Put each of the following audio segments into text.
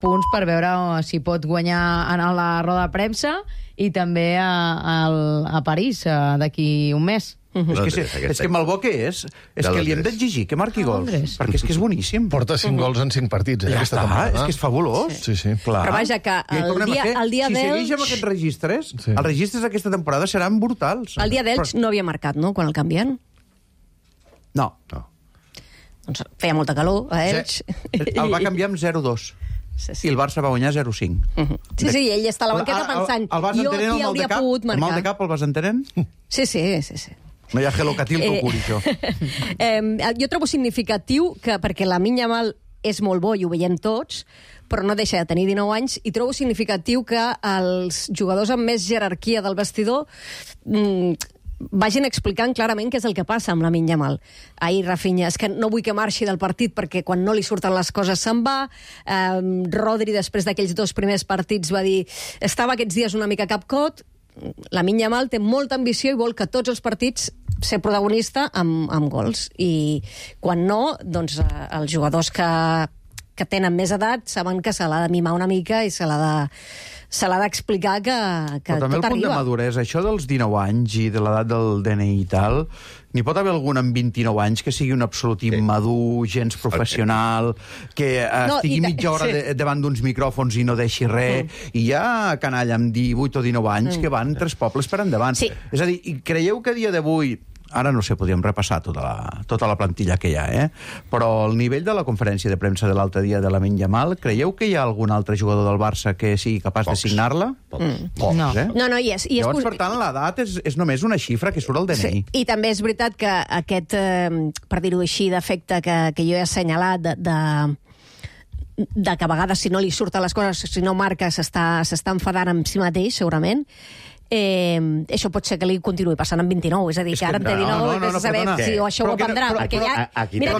punts per veure si pot guanyar en la roda de premsa i també a París d'aquí un mes. És que Malbó què és? És que li hem d'exigir que marqui gols. Perquè és que és boníssim. Porta 5 gols en 5 partits, Ja aquesta està, temporada. és que és fabulós. Sí, sí. Clar. Però vaja, que el dia Si d'Elx... segueix amb aquests registres, els registres d'aquesta temporada seran brutals. El dia d'Elx no havia marcat, no?, quan el canvien. No. Doncs feia molta calor a Elx. El va canviar amb 0-2. I el Barça va guanyar 0-5. Sí, ell està a la banqueta pensant jo aquí hauria pogut marcar. El mal de cap el vas entenent? Sí. No hi ha gelocatil que ho curi, això. Jo trobo significatiu que, perquè Lamine Yamal és molt bo i ho veiem tots, però no deixa de tenir 19 anys, i trobo significatiu que els jugadors amb més jerarquia del vestidor vagin explicant clarament què és el que passa amb Lamine Yamal. Ahir Rafinha, és que no vull que marxi del partit perquè quan no li surten les coses se'n va. Rodri, després d'aquells 2 primers partits, va dir estava aquests dies una mica capcot. Lamine Yamal té molta ambició i vol que tots els partits ser protagonista amb gols. I quan no, doncs els jugadors que tenen més edat saben que se l'ha de mimar una mica i se l'ha d'explicar que però també tot el punt de arriba. maduresa, això dels 19 anys i de l'edat del DNI i tal, n'hi pot haver algun amb 29 anys que sigui un absolut immadur, gens professional, que estigui mitja hora davant d'uns micròfons i no deixi res, i hi ha canalla amb 18 o 19 anys que van 3 pobles per endavant. Sí. És a dir, creieu que a dia d'avui, ara no sé, podríem repassar tota la plantilla que hi ha, però el nivell de la conferència de premsa de l'altre dia de Lamine Yamal, creieu que hi ha algun altre jugador del Barça que sigui capaç de signar-la? Pocs, No, hi és. Llavors, per tant, l'edat és només una xifra que surt al DNI. Sí. I també és veritat que aquest, per dir-ho així, defecte que jo he assenyalat de que a vegades si no li surten les coses, si no marca, s'està enfadant amb si mateix, segurament. Això pot ser que li continuï passant amb 29, és a dir, que ara en té 19 i que saber si això ho aprendrà, perquè ja... Mira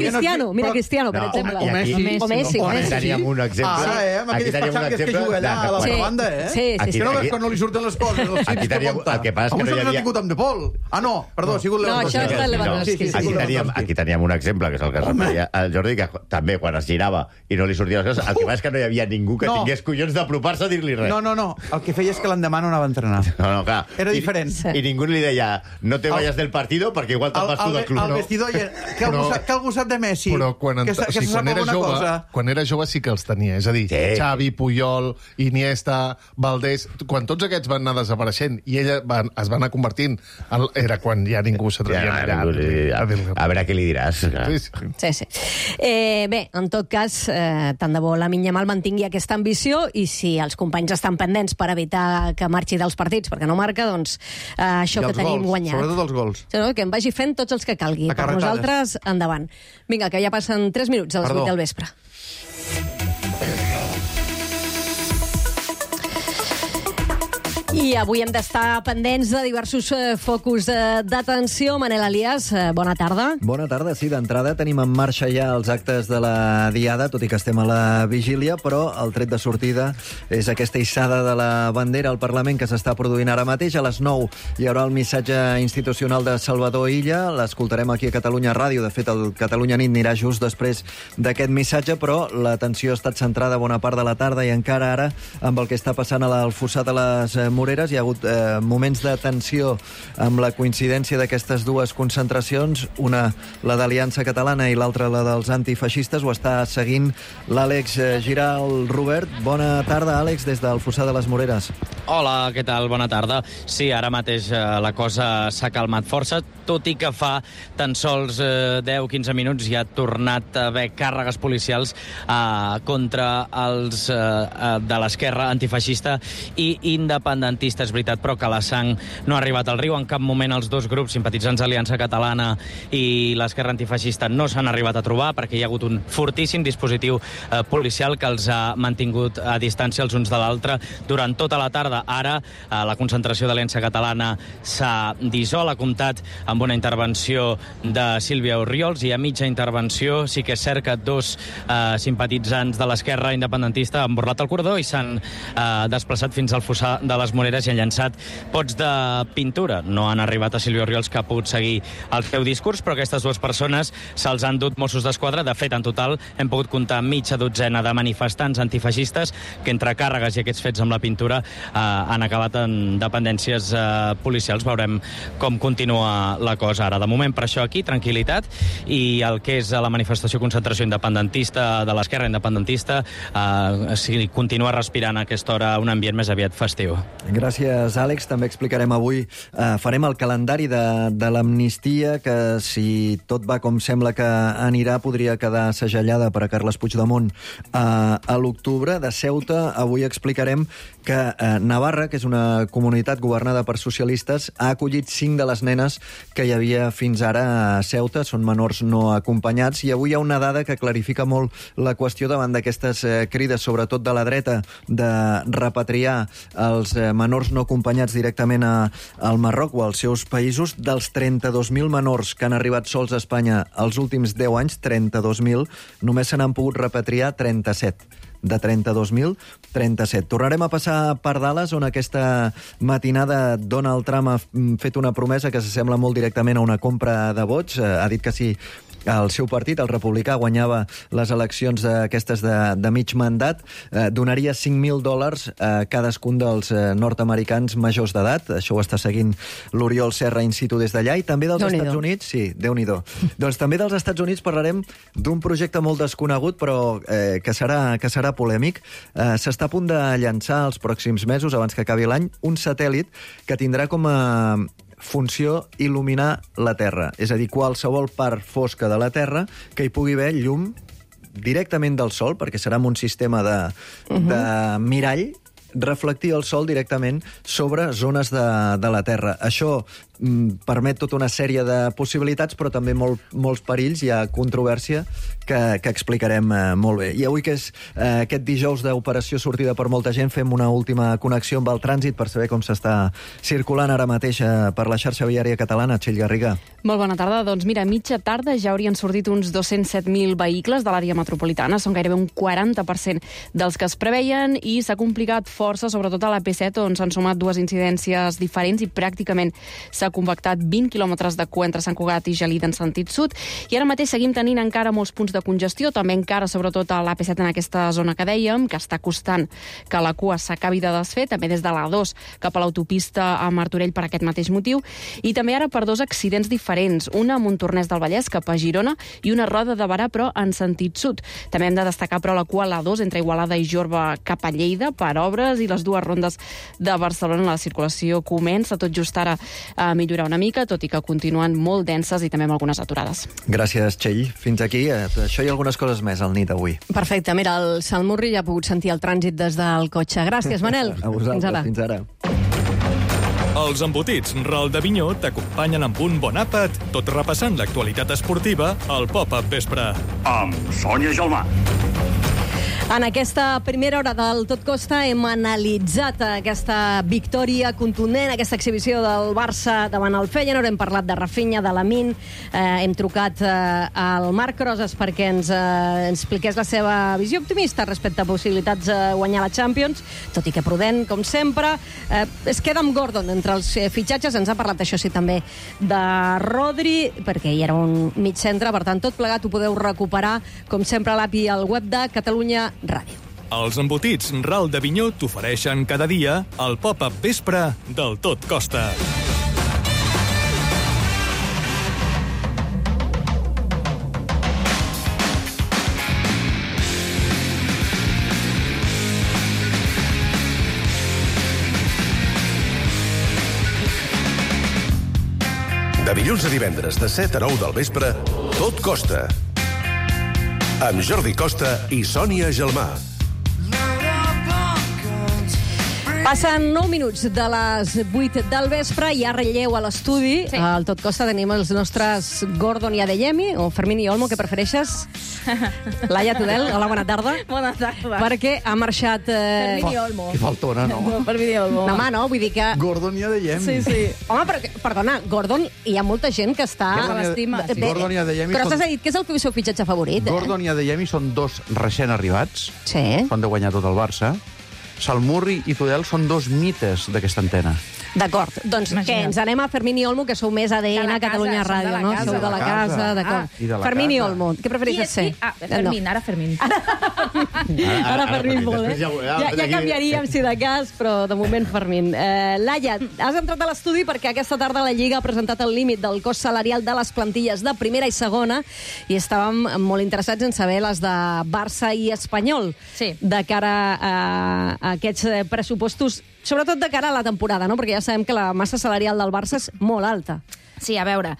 Cristiano, per exemple. O Messi. Aquí teníem un exemple. Aquí teníem un exemple. Que juga allà a la banda, Sí. Que no veus quan no li surten les coses. Aquí teníem... El que passa és que no hi havia... tingut amb De Paul. Ah, no, perdó, ha sigut Lewandowski. No, això és Lewandowski. Aquí teníem un exemple, que és el que es referia al Jordi, que també quan es girava i no li sortien les coses, el que passa és que no hi havia ningú que tingués collons d'apropar-se a dir-li res. No, el que feia és que l'endemà no anava a entrenar. No, clar. Era diferent. I ningú li deia, no te vayas del partido perquè igual te'n vas tu del club. El vestidor, que algú sap de Messi. Però quan era jove sí que els tenia. És a dir, Xavi, Puyol, Iniesta, Valdés... Quan tots aquests van anar desapareixent i ell es va anar convertint, era quan ja ningú s'atrevia a a veure què li diràs. Sí. Bé, en tot cas, tant de bo Lamine Yamal mantingui aquesta ambició i si els companys estan pendents per evitar que marxi dels partits perquè no marca, doncs això que tenim guanyat. Sobretot els gols. Que em vagi fent tots els que calgui. Per nosaltres, endavant. Vinga, que ja passen 3 minuts a les 8 del vespre. I avui hem d'estar pendents de diversos focus d'atenció. Manel Elias, bona tarda. Bona tarda, sí, d'entrada tenim en marxa ja els actes de la Diada, tot i que estem a la vigília, però el tret de sortida és aquesta hissada de la bandera al Parlament que s'està produint ara mateix. A les 9 hi haurà el missatge institucional de Salvador Illa, l'escoltarem aquí a Catalunya Ràdio, de fet el Catalunya Nit anirà just després d'aquest missatge, però l'atenció ha estat centrada bona part de la tarda i encara ara amb el que està passant a l'Alfossar de les Moreres. Hi ha hagut moments de tensió amb la coincidència d'aquestes dues concentracions, una la d'Aliança Catalana i l'altra la dels antifeixistes. Ho està seguint l'Àlex Giral. Robert, bona tarda, Àlex, des del Fossar de les Moreres. Hola, què tal? Bona tarda. Sí, ara mateix la cosa s'ha calmat força, tot i que fa tan sols 10-15 minuts ja ha tornat a haver càrregues policials contra els de l'esquerra antifeixista i independentista. És veritat, però que la sang no ha arribat al riu. En cap moment els dos grups simpatitzants d'Aliança Catalana i l'esquerra antifeixista no s'han arribat a trobar perquè hi ha hagut un fortíssim dispositiu policial que els ha mantingut a distància els uns de l'altre durant tota la tarda. Ara la concentració d'Aliança Catalana s'ha dissolt, ha comptat amb una intervenció de Sílvia Orriols i a mitja intervenció sí que és cert que 2 simpatitzants de l'esquerra independentista han borrat el cordó i s'han desplaçat fins al Fossar de les Moreres Esmoleres i han llançat pots de pintura. No han arribat a Silvio Oriols, que ha pogut seguir el seu discurs, però aquestes dues persones se'ls han dut Mossos d'Esquadra. De fet, en total hem pogut comptar mitja dotzena de manifestants antifeixistes que entre càrregues i aquests fets amb la pintura han acabat en dependències policials. Veurem com continua la cosa ara. De moment, per això aquí, tranquil·litat, i el que és la manifestació concentració independentista de l'esquerra independentista continua respirant a aquesta hora un ambient més aviat festiu. Gràcies, Àlex. També explicarem avui, farem el calendari de l'amnistia, que si tot va com sembla que anirà, podria quedar segellada per a Carles Puigdemont a l'octubre. De Ceuta, avui explicarem que Navarra, que és una comunitat governada per socialistes, ha acollit 5 de les nenes que hi havia fins ara a Ceuta, són menors no acompanyats, i avui hi ha una dada que clarifica molt la qüestió davant d'aquestes crides, sobretot de la dreta, de repatriar els menors no acompanyats directament al Marroc o als seus països. Dels 32.000 menors que han arribat sols a Espanya els últims 10 anys, 32.000, només se n'han pogut repatriar 37. De 32.000, 37. Tornarem a passar per Dallas, on aquesta matinada Donald Trump ha fet una promesa que s'assembla molt directament a una compra de vots. Ha dit que si el seu partit, el republicà, guanyava les eleccions aquestes de mig mandat, donaria $5.000 a cadascun dels nord-americans majors d'edat. Això ho està seguint l'Oriol Serra in situ des d'allà. I també dels Estats Units... Sí, Déu-n'hi-do. Doncs també dels Estats Units parlarem d'un projecte molt desconegut, però que serà polèmic. S'està a punt de llançar els pròxims mesos, abans que acabi l'any, un satèl·lit que tindrà com a funció il·luminar la Terra. És a dir, qualsevol part fosca de la Terra que hi pugui haver llum directament del Sol, perquè serà amb un sistema de mirall, reflectir el Sol directament sobre zones de la Terra. Això permet tota una sèrie de possibilitats, però també molts perills. Hi ha controvèrsia que explicarem molt bé. I avui, que és aquest dijous d'operació sortida per molta gent, fem una última connexió amb el trànsit per saber com s'està circulant ara mateix per la xarxa viària catalana. Txell Garriga. Molt bona tarda. Doncs mira, a mitja tarda ja haurien sortit uns 207.000 vehicles de l'àrea metropolitana. Són gairebé un 40% dels que es preveien, i s'ha complicat força, sobretot a la P7, on s'han sumat dues incidències diferents i pràcticament s'ha compactat 20 quilòmetres de cua entre Sant Cugat i Gelida en sentit sud. I ara mateix seguim tenint encara molts punts de congestió, també encara sobretot a l'AP7 en aquesta zona que dèiem, que està costant que la cua s'acabi de desfer, també des de l'A2 cap a l'autopista a Martorell per aquest mateix motiu, i també ara per dos accidents diferents, una a Montornès del Vallès cap a Girona i una a Roda de Berà però en sentit sud. També hem de destacar però la cua a l'A2 entre Igualada i Jorba cap a Lleida per obres, i les dues rondes de Barcelona la circulació comença tot just ara a millorar una mica, tot i que continuen molt denses i també amb algunes aturades. Gràcies, Txell. Fins aquí. Això i algunes coses més al nit avui. Perfecte. Mira, el Salmurri ja ha pogut sentir el trànsit des del cotxe. Gràcies, Manel. A vosaltres. Fins ara. Els embotits Ral de Vinyó t'acompanyen amb un bon àpat, tot repassant l'actualitat esportiva al Pop-Up Vespre. Amb Sònia Gelmà. En aquesta primera hora del Tot Costa hem analitzat aquesta victòria contundent, aquesta exhibició del Barça davant el Feyenoord. Hem parlat de Rafinha, de Lamine, hem trucat al Marc Rosas perquè ens expliqués la seva visió optimista respecte a possibilitats de guanyar la Champions, tot i que prudent, com sempre. Es queda amb Gordon entre els fitxatges. Ens ha parlat, això sí, també de Rodri, perquè hi era un mig centre. Per tant, tot plegat ho podeu recuperar, com sempre, a l'API al web de Catalunya Ràdio. Els embotits Ral de Vinyó t'ofereixen cada dia el Pop-Up Vespre del Tot Costa. De dilluns a divendres, de 7 a 9 del vespre, Tot Costa. Amb Jordi Costa i Sònia Gelmà. Passen 9 minuts de les 8 del vespre i hi ha relleu a l'estudi. Sí. Al Tot Costa tenim els nostres Gordon i Adeyemi, o Fermín i Olmo, que prefereixes? Laia Tudel, hola, bona tarda. Bona tarda. Perquè ha marxat... Fermín i Olmo. Que faltona, no? No, Fermín i Olmo. No, home, no, vull dir que... Gordon i Adeyemi. Sí, sí. Home, però, perdona, Gordon, hi ha molta gent que està... Gordon i Adeyemi... Però t'has dit que és el seu fitxatge favorit, Gordon i Adeyemi són dos recent arribats. Sí. Són de guanyar tot el Barça. Salmurri i Tudel són dos mites d'aquesta antena. D'acord, doncs què, ens anem a Fermín i Olmo, que sou més ADN a Catalunya Ràdio, no? Sou de la casa, d'acord. Fermín i Olmo, què prefereixes ser? Fermín, ara Fermín. Ara Fermín molt, Ja canviaríem, si de cas, però de moment Fermín. Laia, has entrat a l'estudi perquè aquesta tarda la Lliga ha presentat el límit del cost salarial de les plantilles de primera i segona i estàvem molt interessats en saber les de Barça i Espanyol de cara a aquests pressupostos, sobretot de cara a la temporada, no? Perquè ja sabem que la massa salarial del Barça és molt alta. Sí, a veure,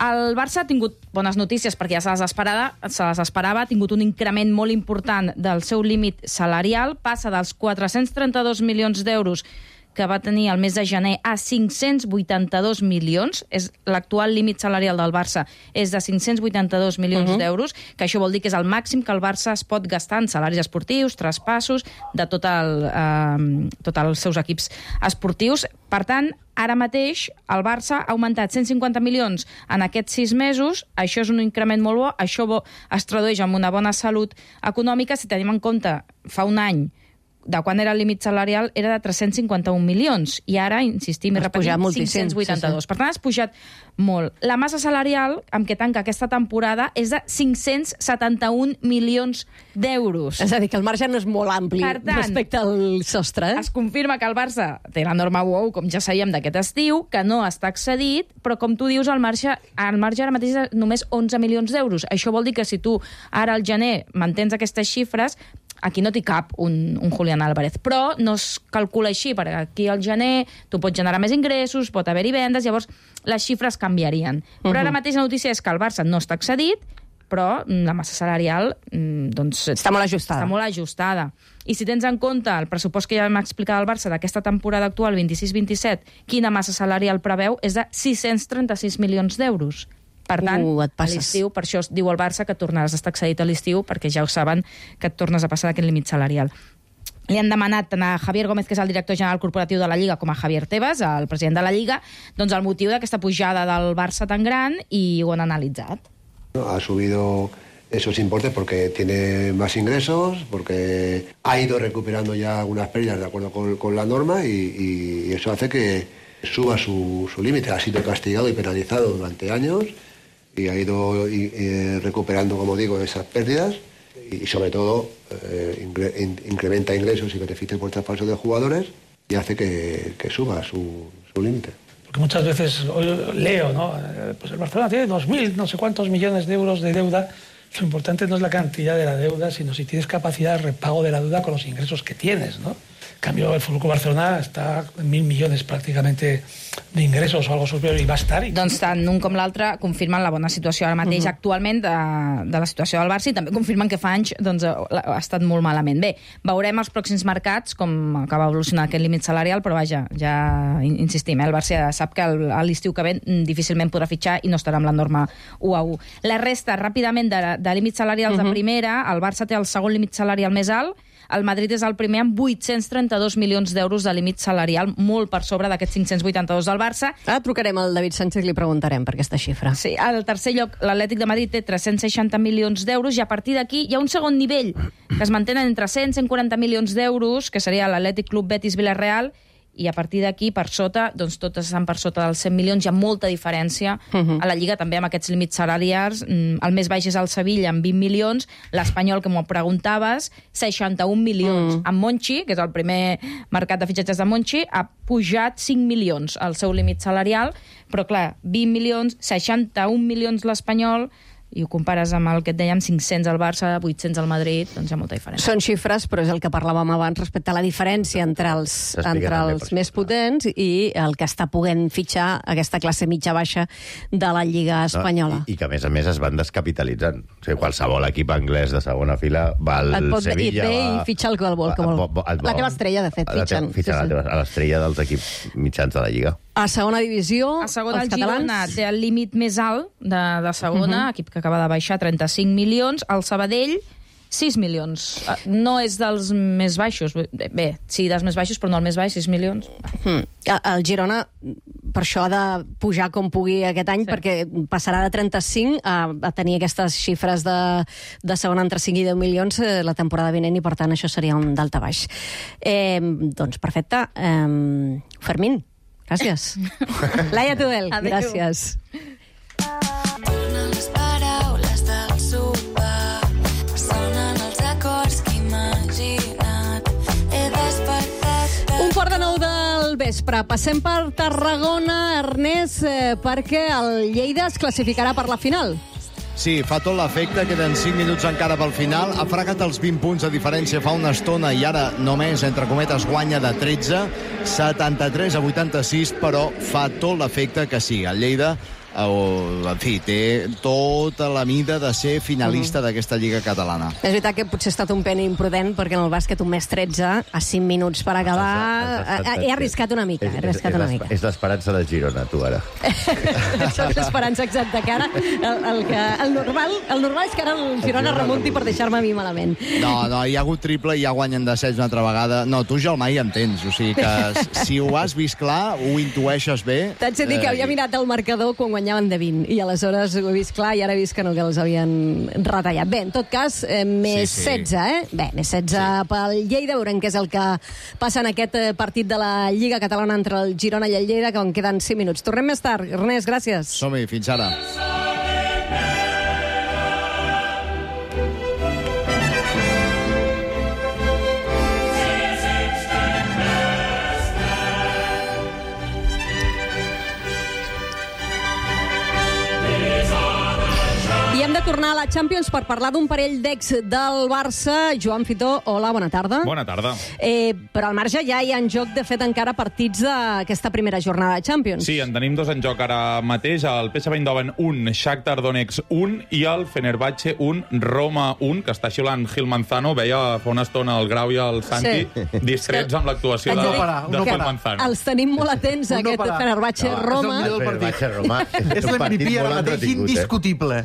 el Barça ha tingut bones notícies perquè ja se les esperava, ha tingut un increment molt important del seu límit salarial, passa dels 432 milions d'euros que va tenir el mes de gener a 582 milions. L'actual límit salarial del Barça és de 582 milions d'euros, que això vol dir que és el màxim que el Barça es pot gastar en salaris esportius, traspassos, de tots els seus equips esportius. Per tant, ara mateix el Barça ha augmentat 150 milions en aquests 6 mesos, això és un increment molt bo, això es tradueix en una bona salut econòmica. Si tenim en compte fa un any de quan era el límit salarial, era de 351 milions. I ara, insistim i repetim, 582. Per tant, has pujat molt. La massa salarial amb què tanca aquesta temporada és de 571 milions d'euros. És a dir, que el marge no és molt ampli respecte al sostre. Es confirma que el Barça té la norma WOW, com ja sabíem d'aquest estiu, que no està excedit, però com tu dius, el marge ara mateix és només 11 milions d'euros. Això vol dir que si tu ara al gener mantens aquestes xifres, aquí no t'hi cap un Julián Álvarez, però no es calcula així, perquè aquí al gener tu pots generar més ingressos, pot haver-hi vendes, llavors les xifres canviarien. Però ara mateix la notícia és que el Barça no està excedit, però la massa salarial està molt ajustada. I si tens en compte el pressupost que ja vam explicar del Barça d'aquesta temporada actual, 26-27, quina massa salarial preveu, és de 636 milions d'euros. Per tant, a l'estiu, per això es diu al Barça que tornaràs a estar excedit a l'estiu, perquè ja ho saben que et tornes a passar d'aquest límit salarial. Li han demanat tant a Javier Gómez, que és el director general corporatiu de la Lliga, com a Javier Tebas, el president de la Lliga, doncs el motiu d'aquesta pujada del Barça tan gran, i ho han analitzat. Ha subido esos importes porque tiene más ingresos, porque ha ido recuperando ya algunas pérdidas de acuerdo con la norma y eso hace que suba su límite. Ha sido castigado y penalizado durante años y ha ido recuperando, como digo, esas pérdidas y sobre todo incrementa ingresos y beneficios por traspaso de jugadores y hace que suba su límite. Porque muchas veces leo, ¿no? Pues el Barcelona tiene 2.000 no sé cuántos millones de euros de deuda. Lo importante no es la cantidad de la deuda, sino si tienes capacidad de repago de la deuda con los ingresos que tienes, ¿no? En cambio, el Fútbol Barcelona està en 1.000 milions pràcticament d'ingressos o algo superior i va estar. Doncs tant un com l'altre confirmen la bona situació ara mateix actualment de la situació del Barça i també confirmen que fa anys ha estat molt malament. Bé, veurem els pròxims mercats com acaba evolucionar aquest límit salarial, però vaja, ja insistim, el Barça sap que a l'estiu que ve difícilment podrà fitxar i no estarà amb la norma 1 a 1. La resta, ràpidament, de límits salarials de primera, el Barça té el segon límit salarial més alt, el Madrid és el primer amb 832 milions d'euros de límit salarial, molt per sobre d'aquests 582 del Barça. Ara trucarem al David Sánchez i li preguntarem per aquesta xifra. Sí, al tercer lloc, l'Atlètic de Madrid té 360 milions d'euros i a partir d'aquí hi ha un segon nivell que es mantenen entre 100 i 140 milions d'euros, que seria l'Atlètic Club Betis Villarreal, i a partir d'aquí, per sota, doncs totes estan per sota dels 100 milions, hi ha molta diferència a la Lliga, també amb aquests límits salarials. El més baix és el Sevilla, amb 20 milions, l'Espanyol, que m'ho preguntaves, 61 milions. En Monchi, que és el primer mercat de fitxatges de Monchi, ha pujat 5 milions al seu límit salarial, però clar, 20 milions, 61 milions l'Espanyol, i ho compares amb el que et dèiem, 500 al Barça, 800 al Madrid, doncs hi ha molta diferència. Són xifres, però és el que parlàvem abans respecte a la diferència entre els més potents i el que està podent fitxar aquesta classe mitja-baixa de la Lliga espanyola. I que, a més, es van descapitalitzant. O sigui, qualsevol equip anglès de segona fila va al Sevilla... I fitxa el que vol. La teva estrella, de fet, fitxen. A l'estrella dels equips mitjans de la Lliga. A segona divisió, els catalans... A segona, el Girona té el límit més alt de segona, equip que acaba de baixar, 35 milions. El Sabadell, 6 milions. No és dels més baixos. Bé, sí, dels més baixos, però no el més baix, 6 milions. El Girona per això ha de pujar com pugui aquest any, perquè passarà de 35 a tenir aquestes xifres de segona entre 5 i 10 milions la temporada vinent, i per tant això seria un daltabaix. Doncs perfecte. Fermín, gràcies. Laia Tudel, gràcies. Les paraules del sopar sonen els acords que he imaginat. He despertat... 8:45 del vespre. Passem per Tarragona, Ernest, perquè el Lleida es classificarà per la final. Sí, fa tot l'efecte, queden 5 minuts encara pel final, ha fregat els 20 punts de diferència fa una estona i ara només, entre cometes, guanya de 13, 73-86, però fa tot l'efecte que sí, el Lleida, en fi, té tota la mida de ser finalista d'aquesta Lliga Catalana. És veritat que potser ha estat un pen imprudent, perquè en el bàsquet un mes 13, a 5 minuts per acabar, he arriscat una mica. És l'esperança del Girona, tu, ara. És l'esperança exacta, que ara el normal és que ara el Girona remunti per deixar-me a mi malament. No, hi ha hagut triple i ja guanyen de 16 una altra vegada. No, tu ja el mai entens, o sigui que si ho has vist clar, ho intueixes bé. T'haig de dir que havia mirat el marcador quan guanyaven de 20, i aleshores ho he vist clar i ara he vist que no, que els havien retallat. Bé, en tot cas, més 16, Bé, més 16 pel Lleida, veurem què és el que passa en aquest partit de la Lliga Catalana entre el Girona i el Lleida, que en queden 5 minuts. Tornem més tard. Ernest, gràcies. Som-hi, fins ara. Tornar a la Champions per parlar d'un parell d'ex del Barça. Joan Fitó, hola, bona tarda. Bona tarda. Però al marge ja hi ha en joc, de fet, encara partits d'aquesta primera jornada de Champions. Sí, en tenim dos en joc ara mateix. El PSV Eindhoven 1, Shakhtar Donetsk 1 i el Fenerbahce 1, Roma 1, que està xiulant Gil Manzano. Veia fa una estona el Grau i el Santi discrets amb l'actuació de Gil Manzano. Els tenim molt atents, aquest Fenerbahce-Roma. El Fenerbahce-Roma és l'MVP ara mateix indiscutible.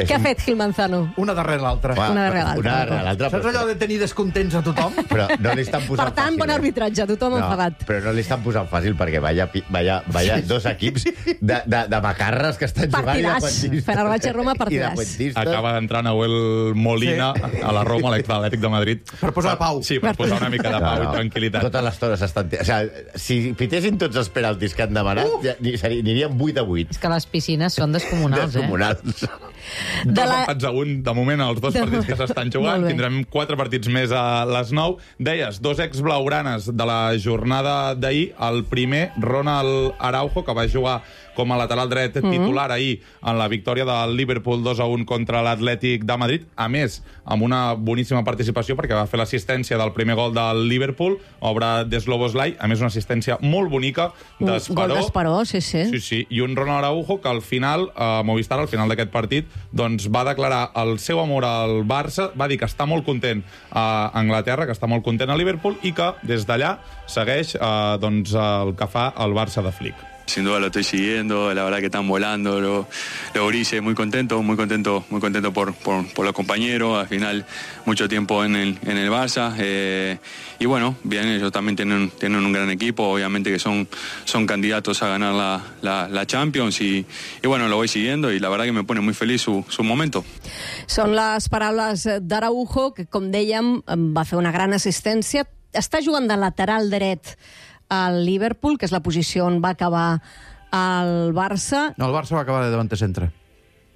Què ha fet Gil Manzano? Una darrere l'altra. Una darrere l'altra. Saps allò de tenir descontents a tothom? Però no li estan posant per tant, bon arbitratge, tothom enfadat. Però no li estan posant fàcil, perquè vaya dos equips de macarres que estan jugant. Partidàs. Fenerbahce-Roma, partidàs. Acaba d'entrar Nahuel Molina a la Roma, l'Atlètic de Madrid. Per posar pau. Sí, per posar una mica de pau i tranquil·litat. Totes les tones estan... O sigui, si pitessin tots els penaltis que han demanat, anirien 8-8. És que les piscines són descomunals, Descomunals. Dos empats a un, de moment, els dos partits que s'estan jugant. Tindrem 4 partits més a les 9. Deies, dos ex-blaugranes de la jornada d'ahir. El primer, Ronald Araujo, que va jugar com a lateral dret titular ahir en la victòria del Liverpool 2-1 contra l'Atlètic de Madrid. A més, amb una boníssima participació, perquè va fer l'assistència del primer gol del Liverpool, obra de Sloboslai. A més, una assistència molt bonica d'Esperó. Gol d'Esperó, sí. Sí. I un Ronald Araujo que al final, Movistar, al final d'aquest partit, doncs va declarar el seu amor al Barça, va dir que està molt content a Anglaterra, que està molt content a Liverpool i que des d'allà segueix el que fa el Barça de Flick. Sin duda lo estoy siguiendo, la verdad que están volando los grises, muy contento por los compañeros, al final mucho tiempo en el Barça, y bueno, bien, ellos también tienen un gran equipo, obviamente que son candidatos a ganar la Champions, y bueno, lo voy siguiendo y la verdad que me pone muy feliz su momento. Són les paraules d'Araujo, que com dèiem va fer una gran assistència, està jugant de lateral dret al Liverpool, que és la posició on va acabar el Barça. No, el Barça va acabar de davanter centre.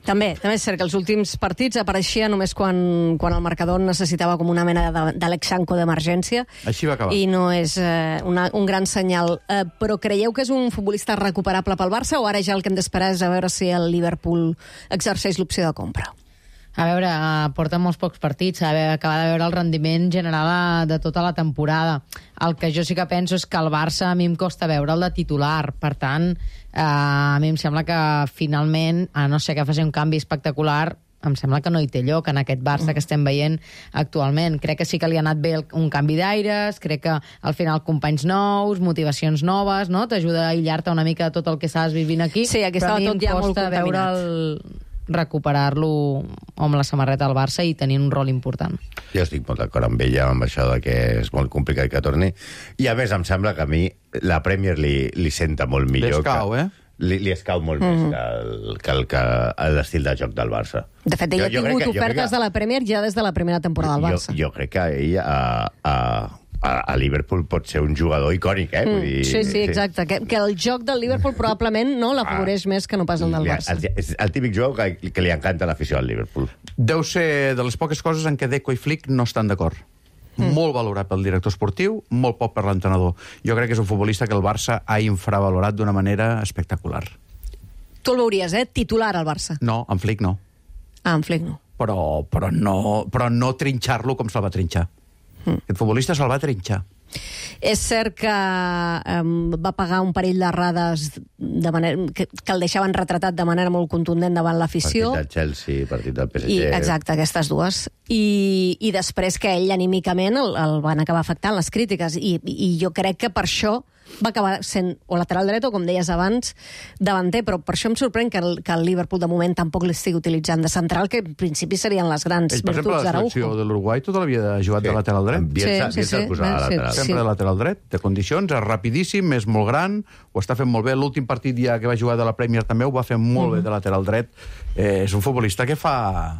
També és cert que els últims partits apareixia només quan el marcador necessitava com una mena d'Alex Sanko d'emergència. Així va acabar. I no és un gran senyal. Però creieu que és un futbolista recuperable pel Barça, o ara ja el que hem d'esperar és a veure si el Liverpool exerceix l'opció de compra? A veure, porta molts pocs partits, acaba de veure el rendiment general de tota la temporada. El que jo sí que penso és que el Barça a mi em costa veure'l de titular, per tant, a mi em sembla que finalment, a no ser que faci un canvi espectacular, em sembla que no hi té lloc en aquest Barça que estem veient actualment. Crec que sí que li ha anat bé un canvi d'aires, crec que al final companys nous, motivacions noves, no? T'ajuda a aïllar-te una mica de tot el que estàs vivint aquí. Sí, aquí estava tot ja molt contaminat. recuperar-lo amb la samarreta del Barça i tenir un rol important. Jo estic molt d'acord amb ella, amb això de que és molt complicat que torni. I a més em sembla que a mi la Premier li senta molt millor. Li escau molt més que l'estil de joc del Barça. De fet, ell ha tingut ofertes de la Premier ja des de la primera temporada del Barça. Jo crec que ell a Liverpool pot ser un jugador icònic, Vull dir, sí, exacte. Que el joc del Liverpool probablement l'afavoreix més que no pas el del Barça. És el típic joc que li encanta l'afició al Liverpool. Deu ser de les poques coses en què Deco i Flick no estan d'acord. Molt valorat pel director esportiu, molt poc per l'entrenador. Jo crec que és un futbolista que el Barça ha infravalorat d'una manera espectacular. Tu el veuries, titular al Barça? No, en Flick no. En Flick no. Però no trinxar-lo com se'l va trinxar. Aquest futbolista se'l va trinxar. És cert que va pagar un parell d'errades de manera que el deixaven retratat de manera molt contundent davant l'afició. Partit del Chelsea, partit del PSG... Exacte, aquestes dues. I després que ell anímicament el van acabar afectant les crítiques. I jo crec que per això va acabar sent o lateral dret o, com deies abans, davanter. Però per això em sorprèn que el Liverpool de moment tampoc l'estigui utilitzant de central, que en principi serien les grans virtuts d'Araujo. Per exemple, la selecció de l'Uruguai tota l'havia jugat de lateral dret. Sempre de lateral dret, de condicions, és rapidíssim, és molt gran, ho està fent molt bé. L'últim partit ja que va jugar de la Premier també ho va fer molt bé de lateral dret. És un futbolista que fa...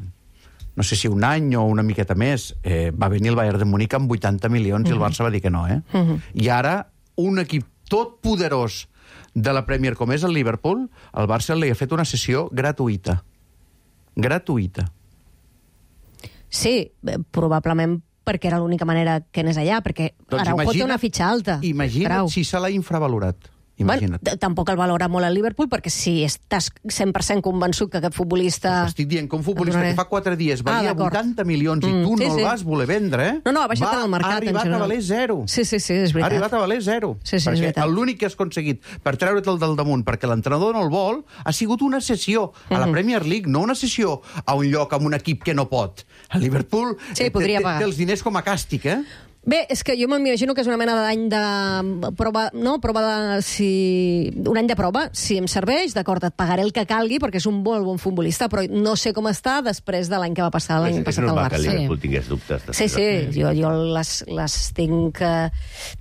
no sé si un any o una miqueta més, va venir el Bayern de Múnich amb 80 milions i el Barça va dir que no, I ara, un equip tot poderós de la Premier com és el Liverpool, el Barça li ha fet una sessió gratuïta. Gratuïta. Sí, probablement perquè era l'única manera que anés allà, perquè Araujo té una fitxa alta. Imagina't si se l'ha infravalorat. Imagina't. Bueno, tampoc el valora molt el Liverpool, perquè si estàs 100% convençut que aquest futbolista... Estic dient que un futbolista que fa 4 dies valia 80 milions i tu no el vas voler vendre, No, ha baixat en el mercat. Ha arribat a valer 0. Sí, és veritat. Ha arribat a valer 0. Perquè l'únic que has aconseguit per treure'l del damunt, perquè l'entrenador no el vol, ha sigut una sessió a la Premier League, no una sessió a un lloc amb un equip que no pot. El Liverpool té els diners com a càstig, Bé, és que jo m'imagino que és una mena d'any de prova, un any de prova. Si em serveix, d'acord, et pagaré el que calgui, perquè és un bon futbolista, però no sé com està després de l'any que va passar l'any passat al Barça. És normal que el Liverpool tingués dubtes. Sí, jo les tinc...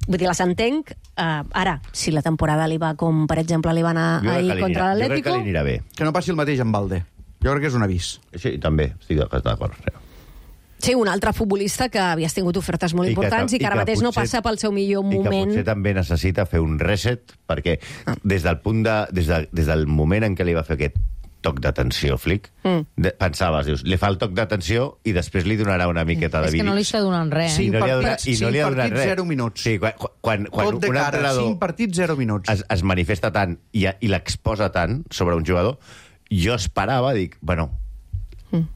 Vull dir, les entenc. Ara, si la temporada li va com, per exemple, li va anar ahir contra l'Atlético... Jo crec que li anirà bé. Que no passi el mateix amb Valde. Jo crec que és un avís. Sí, també, estic d'acord. Sí, un altre futbolista que havies tingut ofertes molt importants i que ara mateix no passa pel seu millor moment. I que potser també necessita fer un reset, perquè des del moment en què li va fer aquest toc d'atenció, Flick, pensaves, dius, li fa el toc d'atenció i després li donarà una miqueta de vídeo. És que no li està donant res. 5 partits, 0 minuts. Sí, quan tot de cara, 5 partits, 0 minuts. Es manifesta tant i l'exposa tant sobre un jugador, jo esperava, dic, bueno,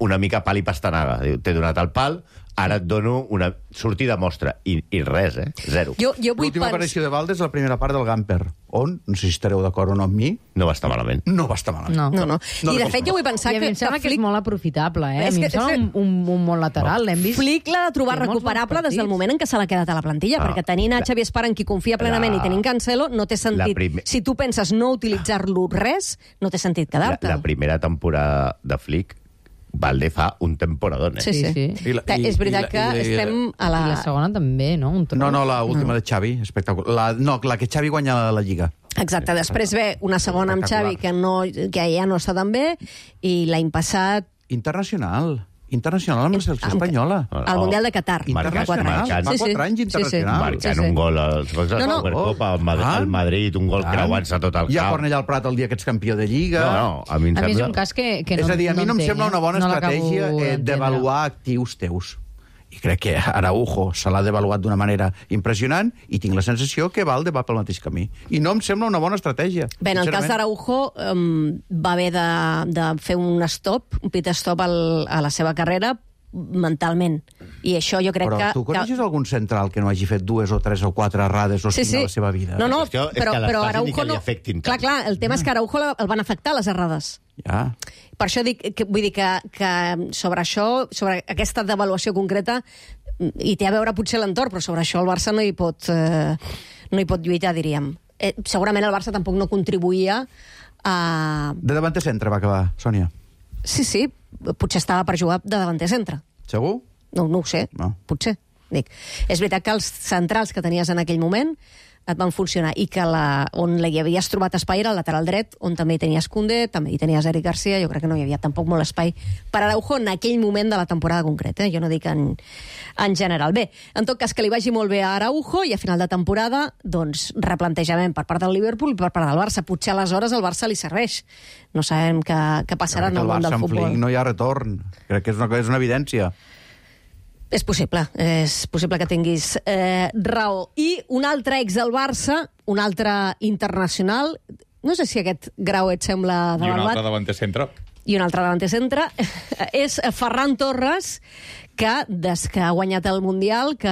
una mica pal i pastanaga. T'he donat el pal, ara et dono una sortida mostra. I res, 0. L'última aparició de Valde és la primera part del Gamper, on, no sé si estareu d'acord o no amb mi... No va estar malament. No va estar malament. No. I de fet jo vull pensar que... A mi em sembla que és molt aprofitable, A mi em sembla un molt lateral, l'hem vist. Flick l'ha de trobar recuperable des del moment en què se l'ha quedat a la plantilla, perquè tenint a Xavi Espar en qui confia plenament i tenint Cancelo, no té sentit. Si tu penses no utilitzar-lo res, no té sentit quedar-te. La primera temporada de Flick Valde fa un temporadón, Sí. És veritat que estem a la... I la segona també, no? No, l'última de Xavi, espectacular. La que Xavi guanya la Lliga. Exacte, després ve una segona amb Xavi que ja no està tan bé, i l'any passat... Internacional amb la selecció espanyola. Al Mundial de Qatar. Internacional. Fa 4 anys internacional. Marcant un gol a la Supercopa, al Madrid, un gol creuant-se tot el camp. I a Cornellà al Prat el dia que ets campió de Lliga. A mi és un cas que no entenc. És a dir, a mi no em sembla una bona estratègia d'avaluar actius teus. I crec que Araujo se l'ha devaluat d'una manera impressionant i tinc la sensació que Valde va pel mateix camí. I no em sembla una bona estratègia. Bé, en el cas d'Araujo va haver de fer un pit stop a la seva carrera mentalment. I això jo crec que... Però tu coneixes algun central que no hagi fet 2 o 3 o 4 errades o 5 a la seva vida? No, però Araujo no... Clar, el tema és que Araujo el van afectar les errades. Ja. Per això vull dir que sobre això, sobre aquesta devaluació concreta, i té a veure potser l'entorn, però sobre això el Barça no hi pot lluitar, diríem. Segurament el Barça tampoc no contribuïa a... De davanter centre va acabar, Sònia. Sí, potser estava per jugar de davanter centre. Segur? No ho sé, potser. Dic, és veritat que els centrals que tenies en aquell moment et van funcionar i que on hi havies trobat espai era al lateral dret, on també hi tenies Koundé, també hi tenies Eric Garcia. Jo crec que no hi havia tampoc molt espai per Araujo en aquell moment de la temporada concreta. Jo no dic en general. Bé, en tot cas, que li vagi molt bé a Araujo i a final de temporada, doncs, replantejament per part del Liverpool i per part del Barça. Potser aleshores el Barça li serveix. No sabem què passarà en el món del futbol. No hi ha retorn. Crec que és una evidència. És possible que tinguis raó. I un altre ex del Barça, un altre internacional, no sé si aquest Grau et sembla de I un altre davanter centre. I un altre davanter centre, és Ferran Torres, que des que ha guanyat el Mundial, que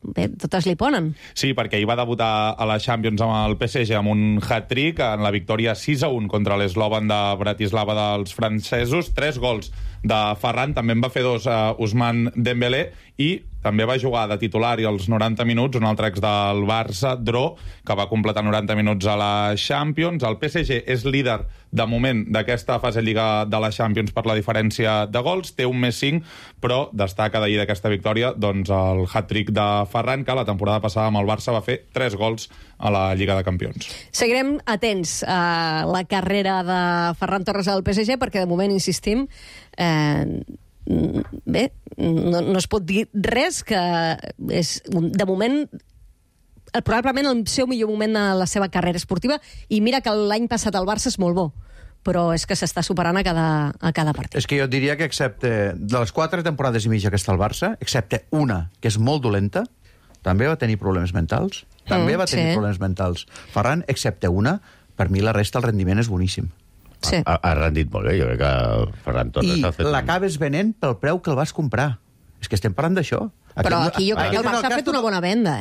bé, totes li ponen. Sí, perquè ell va debutar a la Champions amb el PSG amb un hat-trick en la victòria 6-1 contra l'Slovan de Bratislava dels francesos. 3 gols de Ferran, també en va fer 2 Ousmane Dembélé, i també va jugar de titular i als 90 minuts un altre ex del Barça, Dro, que va completar 90 minuts a la Champions. El PSG és líder de moment d'aquesta fase Lliga de la Champions per la diferència de gols, té 1+5, però destaca d'ahir d'aquesta victòria doncs el hat-trick de Ferran, que la temporada passada amb el Barça va fer 3 gols a la Lliga de Campions. Seguirem atents a la carrera de Ferran Torres al PSG, perquè de moment, insistim, bé, no es pot dir res, que és, de moment, probablement el seu millor moment de la seva carrera esportiva, i mira que l'any passat el Barça és molt bo, però és que s'està superant a cada partit. És que jo diria que excepte de les 4 temporades i mitja que està al Barça, excepte una, que és molt dolenta, també va tenir problemes mentals. Problemes mentals. Ferran, excepte una, per mi la resta el rendiment és boníssim. Sí. Ha rendit molt bé, jo crec que Ferran Torres ha fet... I l'acabes venent pel preu que el vas comprar. És que estem parlant d'això. Però aquí jo crec que el Barça ha fet una bona venda,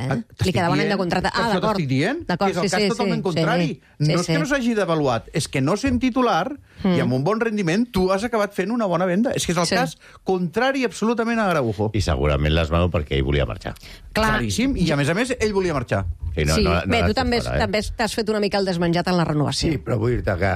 Li quedava un any de contracte. D'acord. T'estic dient que és el cas totalment contrari. No és que no s'hagi devaluat, és que no sent titular i amb un bon rendiment tu has acabat fent una bona venda. És que és el cas contrari absolutament a Araujo. I segurament les veu perquè ell volia marxar. Claríssim, i a més ell volia marxar. Bé, tu també t'has fet una mica el desmenjat en la renovació. Sí, però vull dir-te que...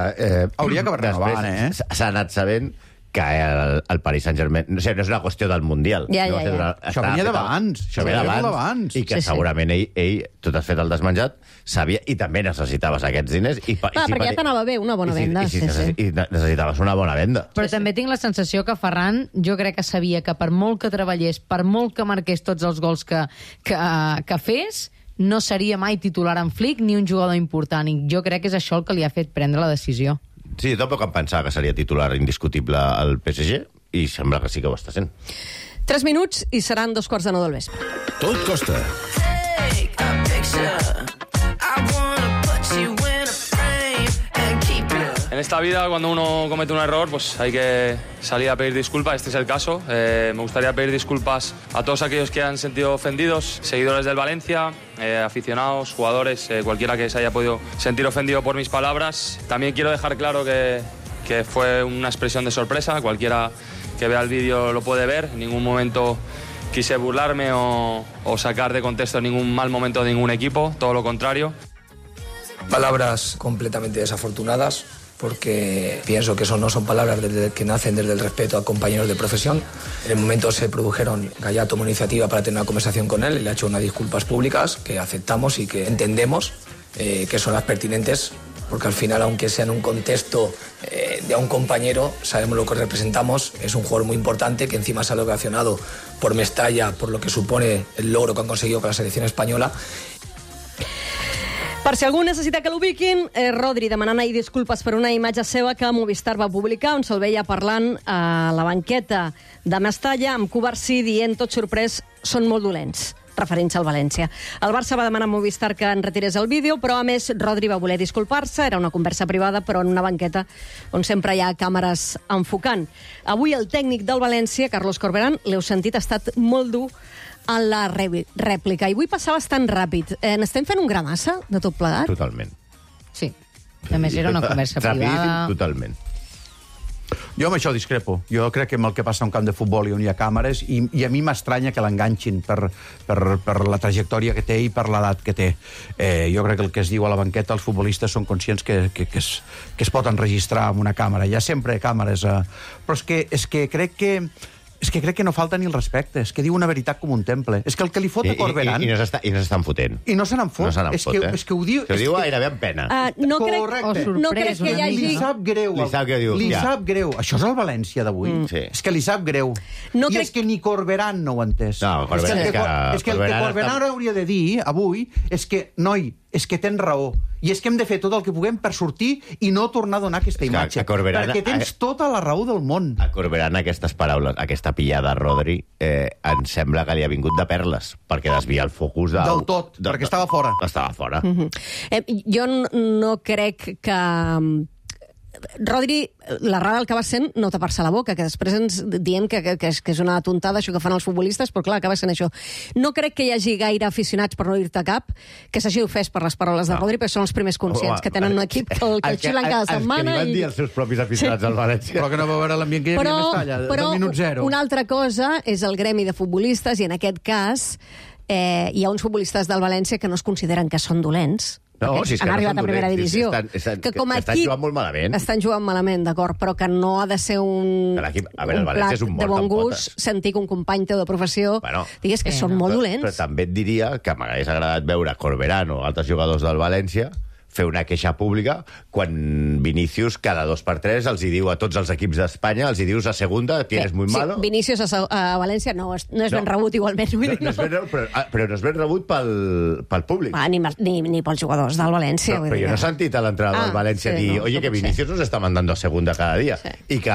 Hauria acabat renovant, s'ha anat sabent que el Paris Saint-Germain... No és una qüestió del Mundial. Això venia d'abans. Això venia d'abans. I que segurament ell, tot has fet el desmenjat, sabia, i també necessitaves aquests diners. Perquè ja t'anava bé, una bona venda. I necessitaves una bona venda. Però també tinc la sensació que Ferran, jo crec que sabia que per molt que treballés, per molt que marqués tots els gols que fes, no seria mai titular en Flick ni un jugador important. I jo crec que és això el que li ha fet prendre la decisió. Sí, tampoc em pensava que seria titular indiscutible al PSG, i sembla que sí que ho està sent. 3 minuts i seran 2:45 del vespre. Tot costa. En esta vida, cuando uno comete un error, pues hay que salir a pedir disculpas. Este es el caso. Me gustaría pedir disculpas a todos aquellos que han sentido ofendidos, seguidores del Valencia, aficionados, jugadores, cualquiera que se haya podido sentir ofendido por mis palabras. También quiero dejar claro que fue una expresión de sorpresa. Cualquiera que vea el vídeo lo puede ver. En ningún momento quise burlarme o sacar de contexto ningún mal momento de ningún equipo, todo lo contrario. Palabras completamente desafortunadas, porque pienso que eso no son palabras que nacen desde el respeto a compañeros de profesión. En el momento se produjeron, Gallá tomó iniciativa para tener una conversación con él y le ha hecho unas disculpas públicas que aceptamos y que entendemos que son las pertinentes, porque al final, aunque sea en un contexto de a un compañero, sabemos lo que representamos. Es un jugador muy importante que encima se ha ovacionado por Mestalla, por lo que supone el logro que han conseguido con la selección española. Per si algú necessita que l'ubiquin, Rodri demanant ahir disculpes per una imatge seva que Movistar va publicar, on se'l veia parlant a la banqueta de Mestalla amb Cubarsí dient, tot sorprès, són molt dolents, referint-se al València. El Barça va demanar a Movistar que en retirés el vídeo, però a més Rodri va voler disculpar-se, era una conversa privada, però en una banqueta on sempre hi ha càmeres enfocant. Avui el tècnic del València, Carlos Corberán, l'heu sentit, ha estat molt dur en la rèplica. I vull passar bastant ràpid. N'estem fent un gra massa de tot plegat? Totalment. Sí. A més, era una conversa privada. Totalment. Jo amb això discrepo. Jo crec que amb el que passa a un camp de futbol i on hi ha càmeres, i a mi m'estranya que l'enganxin per la trajectòria que té i per l'edat que té. Jo crec que el que es diu a la banqueta, els futbolistes són conscients que es pot enregistrar amb una càmera. Hi ha sempre càmeres, però és que crec que no falta ni el respecte. És que diu una veritat com un temple. És que el que li fot a Corberán... I no s'estan fotent. I no se n'en fot. És que ho diu... Que ho diu gairebé amb pena. No crec que hi hagi... Li sap greu. Li sap greu. Això és el València d'avui. És que li sap greu. I és que ni Corberán no ho ha entès. És que el que Corberán hauria de dir avui és que, noi, és que tens raó. I és que hem de fer tot el que puguem per sortir i no tornar a donar aquesta imatge. Perquè tens tota la raó del món. A Corberán aquestes paraules, aquesta pillada a Rodri, em sembla que li ha vingut de perles, perquè desvia el focus del tot, perquè estava fora. Estava fora. Jo no crec que... Rodri, l'errada del que va sent no tapar-se la boca, que després ens diem que és una tontada això que fan els futbolistes, però clar, acaba sent això. No crec que hi hagi gaire aficionats, per no dir-te cap, que s'hagi ofès per les paraules de Rodri, perquè són els primers conscients que tenen un equip que el xiulen cada setmana. Els que li van dir els seus propis aficionats al València. Però que no va veure l'ambient que hi havia més talla, del minut zero. Una altra cosa és el gremi de futbolistes, i en aquest cas hi ha uns futbolistes del València que no es consideren que són dolents. No, si és que han arribat a primera divisió. Que com a equip jugant molt malament. Estan jugant malament, d'acord, però que no ha de ser un plat de bon gust sentir que un company teu de professió digues que són molt dolents. Però també et diria que m'hagués agradat veure Corberán o altres jugadors del València fer una queixa pública quan Vinícius cada 2x3 els hi diu a tots els equips d'Espanya, els hi dius a segunda, tienes muy malo. Vinícius a València no és ben rebut igualment. Però no és ben rebut pel públic. Ni pels jugadors del València. Però jo no he sentit a l'entrada del València dir oye, que Vinícius nos está mandando a segunda cada dia. I que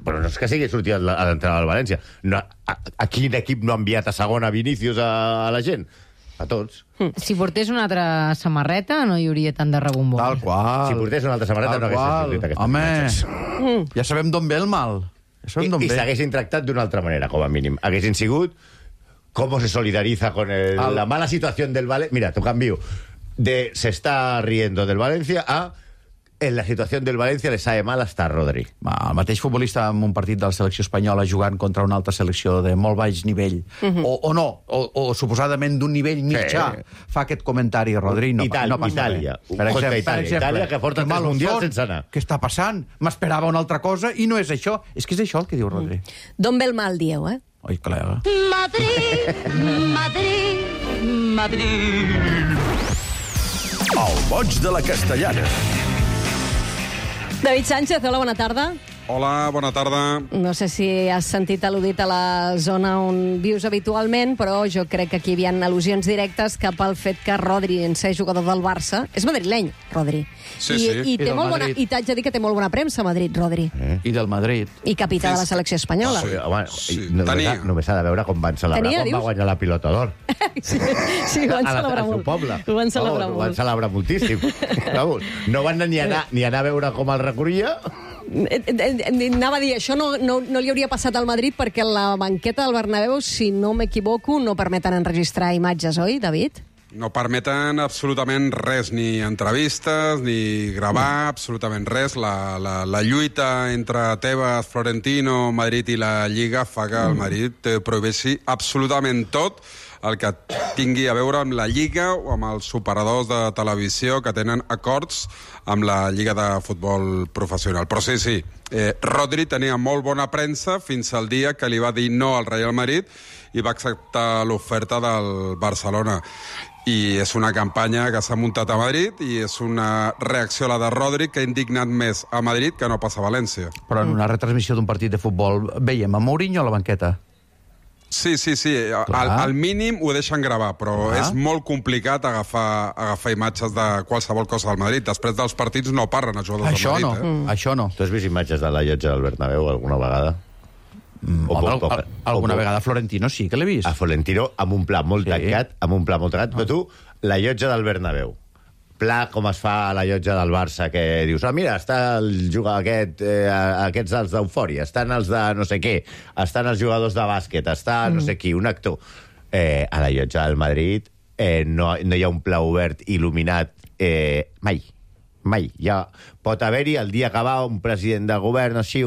però no és que sigui sortit a l'entrada del València. A quin equip no ha enviat a segona Vinícius a la gent? A tots. Si portés una altra samarreta, no hi hauria tant de rebombó. Tal qual. Si portés una altra samarreta, no hagués sortit aquestes imatges. Ja sabem d'on ve el mal. I s'haguessin tractat d'una altra manera, com a mínim. Haguessin sigut com se solidariza con la mala situació del Valencia. Mira, t'ho canvio. De se està riendo del Valencia a en la situació del València le sabe mal estar Rodri. El mateix futbolista en un partit de la selecció espanyola jugant contra una altra selecció de molt baix nivell, o suposadament d'un nivell mitjà, fa aquest comentari, Rodri, no passa Itàlia. Per exemple, Itàlia, que porta 3 mundials sense anar. Què està passant? M'esperava una altra cosa i no és això. És que és això el que diu Rodri. D'on ve el mal, dieu, eh? Oi, col·lega. Madrid, Madrid, Madrid. El boig de la Castellana. David Sánchez, hola, bona tarda. Hola, bona tarda. No sé si has sentit al·ludit a la zona on vius habitualment, però jo crec que aquí hi havia al·lusions directes cap al fet que Rodri, en ser jugador del Barça, és madrileny, Rodri. Sí. I t'haig de dir que té molt bona premsa a Madrid, Rodri. I del Madrid. I capità de la selecció espanyola. Només s'ha de veure com van celebrar quan va guanyar la Pilota d'Or. Sí, ho van celebrar molt. Ho van celebrar moltíssim. No van ni anar a veure com el recorria. Anava a dir, això no li hauria passat al Madrid perquè la banqueta del Bernabéu, si no m'equivoco, no permeten enregistrar imatges, oi, David? No permeten absolutament res, ni entrevistes, ni gravar, absolutament res. La lluita entre Tebas, Florentino, Madrid i la Lliga fa que el Madrid prohibeixi absolutament tot el que tingui a veure amb la Lliga o amb els operadors de televisió que tenen acords amb la Lliga de Futbol Professional. Però sí, Rodri tenia molt bona premsa fins al dia que li va dir no al Real Madrid i va acceptar l'oferta del Barcelona. I és una campanya que s'ha muntat a Madrid i és una reacció a la de Rodri que ha indignat més a Madrid que no passa a València. Però en una retransmissió d'un partit de futbol veiem a Mourinho a la banqueta. Sí. Al mínim ho deixen gravar, però és molt complicat agafar imatges de qualsevol cosa del Madrid. Després dels partits no parlen els jugadors del Madrid. Això no. Tu has vist imatges de la llotja del Bernabéu alguna vegada? Alguna vegada Florentino sí que l'he vist. A Florentino amb un pla molt tancat, però tu, la llotja del Bernabéu, pla com es fa a la llotja del Barça, que dius, mira, està el jugador aquests els d'Eufòria, estan els de no sé què, estan els jugadors de bàsquet, està no sé qui, un actor. A la llotja del Madrid no hi ha un pla obert, il·luminat, mai. Mai. Ja pot haver-hi el dia que va un president de govern així,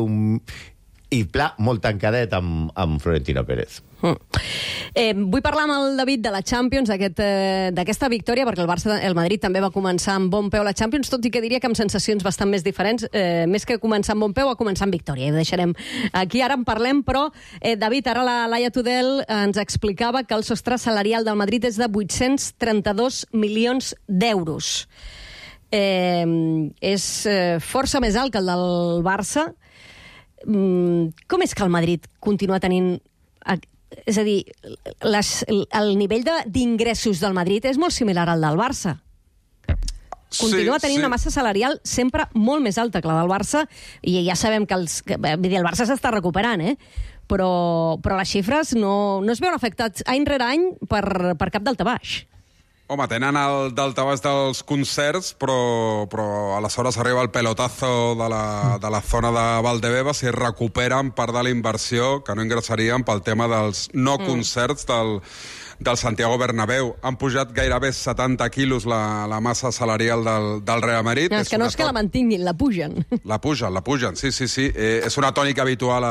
i pla, molt tancadet amb Florentino Pérez. Vull parlar amb el David de la Champions, d'aquesta victòria, perquè el Madrid també va començar amb bon peu la Champions, tot i que diria que amb sensacions bastant més diferents, més que començar amb bon peu, a començar amb victòria. I ho deixarem aquí, ara en parlem, però, David, ara la Laia Tudel ens explicava que el sostre salarial del Madrid és de 832 milions d'euros. És força més alt que el del Barça. Com és que el Madrid continua tenint... És a dir, el nivell d'ingressos del Madrid és molt similar al del Barça. Continua tenint una massa salarial sempre molt més alta que la del Barça, i ja sabem que el Barça s'està recuperant, però les xifres no es veuen afectats any rere any per cap daltabaix. Home, tenen el daltabaix dels concerts, però aleshores arriba el pelotazo de la zona de Valdebeba, si recuperen part de la inversió que no ingressarien pel tema dels no concerts del Santiago Bernabéu. Han pujat gairebé 70 quilos la massa salarial del Real Madrid. No, és que no és que la mantinguin, la pugen. La pugen, sí. És una tònica habitual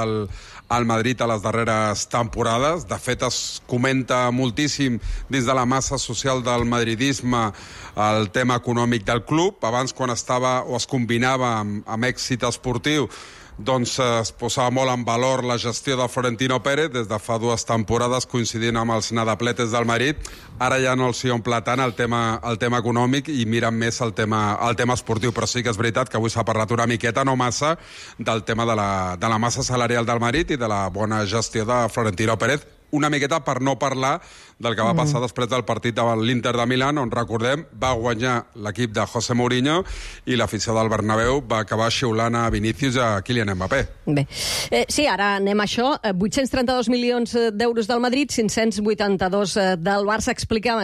al Madrid a les darreres temporades. De fet, es comenta moltíssim dins de la massa social del madridisme el tema econòmic del club. Abans, quan estava o es combinava amb èxit esportiu, doncs es posava molt en valor la gestió de Florentino Pérez des de fa 2 temporades, coincidint amb els nadapletes del Madrid. Ara ja no els hi omple tant el tema econòmic i miren més el tema esportiu, però sí que és veritat que avui s'ha parlat una miqueta, no massa, del tema de la massa salarial del Madrid i de la bona gestió de Florentino Pérez, una miqueta per no parlar del que va passar després del partit de l'Inter de Milán, on, recordem, va guanyar l'equip de José Mourinho i l'afició del Bernabéu va acabar xiulant a Vinícius i a Kylian Mbappé. Bé, sí, ara anem a això. 832 milions d'euros del Madrid, 582 del Barça.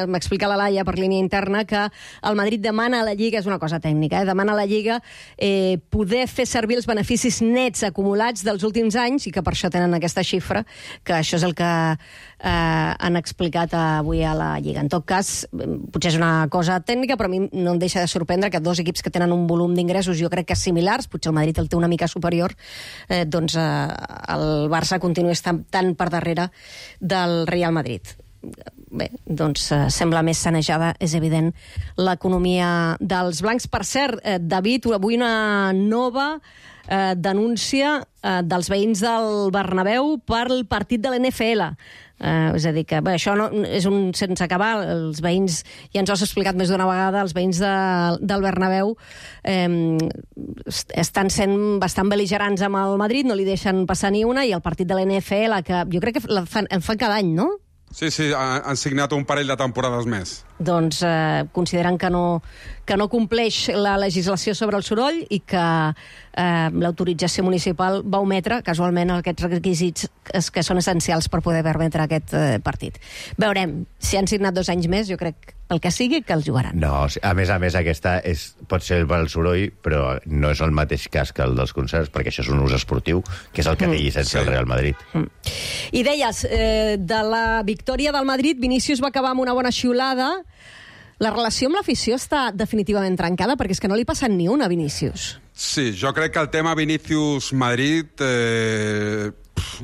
M'explica la Laia per línia interna que el Madrid demana a la Lliga, és una cosa tècnica, demana a la Lliga poder fer servir els beneficis nets acumulats dels últims anys i que per això tenen aquesta xifra, que això és el que han explicat avui a la Lliga. En tot cas, potser és una cosa tècnica, però a mi no em deixa de sorprendre que 2 equips que tenen un volum d'ingressos, jo crec que similars, potser el Madrid el té una mica superior, doncs el Barça continua estant tan per darrere del Real Madrid. Bé, doncs sembla més sanejada, és evident, l'economia dels blancs. Per cert, David, avui una nova denúncia dels veïns del Bernabéu pel partit de l'NFL. És a dir, que bé, això no, és un sense acabar. Els veïns, ja ens ho has explicat més d'una vegada, els veïns del Bernabéu estan sent bastant bel·ligerants amb el Madrid, no li deixen passar ni una, i el partit de l'NFL, que jo crec que el fan cada any, no? Sí, han signat un parell de temporades més. Doncs consideren que no compleix la legislació sobre el soroll i que l'autorització municipal va ometre casualment aquests requisits que són essencials per poder permetre aquest partit. Veurem, si han signat 2 anys més, jo crec, pel que sigui, que els jugaran. No, a més aquesta pot ser el soroll, però no és el mateix cas que el dels concerts, perquè això és un ús esportiu, que és el que té llicència el Real Madrid. I deies, de la victòria del Madrid, Vinícius va acabar amb una bona xiulada. La relació amb l'afició està definitivament trencada, perquè és que no li passen ni una a Vinícius. Sí, jo crec que el tema Vinícius-Madrid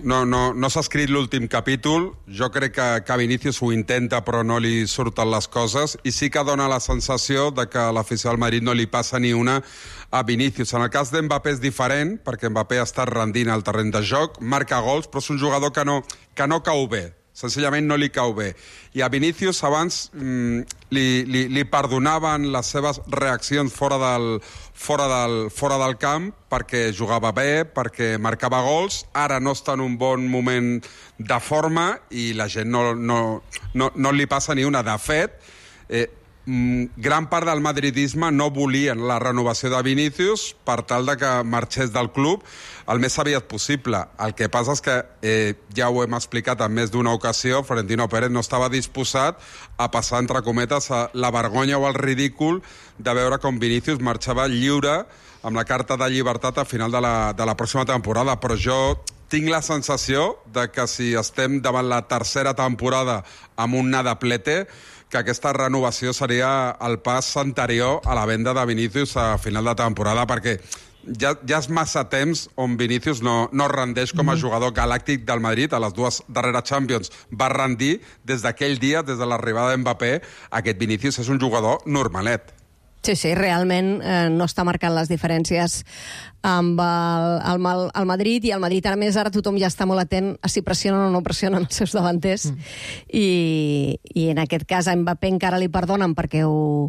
no s'ha escrit l'últim capítol. Jo crec que Vinícius ho intenta, però no li surten les coses, i sí que dona la sensació de que a l'afició del Madrid no li passa ni una a Vinícius. En el cas d'Mbappé és diferent, perquè Mbappé està rendint al terreny de joc, marca gols, però és un jugador que no cau bé. Senzillament no li cau bé. I a Vinícius abans li perdonaven les seves reaccions fora del camp perquè jugava bé, perquè marcava gols. Ara no està en un bon moment de forma i la gent no li passa ni una. De fet, gran part del madridisme no volien la renovació de Vinícius per tal de que marxés del club el més aviat possible. El que passa és que, ja ho hem explicat en més d'una ocasió, Florentino Pérez no estava disposat a passar, entre cometes, la vergonya o el ridícul de veure com Vinícius marxava lliure amb la carta de llibertat a final de la pròxima temporada. Però jo tinc la sensació de que si estem davant la tercera temporada amb un nadaplete, que aquesta renovació seria el pas anterior a la venda de Vinícius a final de temporada, perquè ja és massa temps on Vinícius no rendeix com a jugador galàctic del Madrid. A les dues darreres Champions va rendir des d'aquell dia, des de l'arribada d'Mbappé. Aquest Vinícius és un jugador normalet. Sí, realment no està marcant les diferències amb el Madrid, i el Madrid ara tothom ja està molt atent a si pressionen o no pressionen els seus davanters, i en aquest cas a Mbappé encara li perdonen perquè ho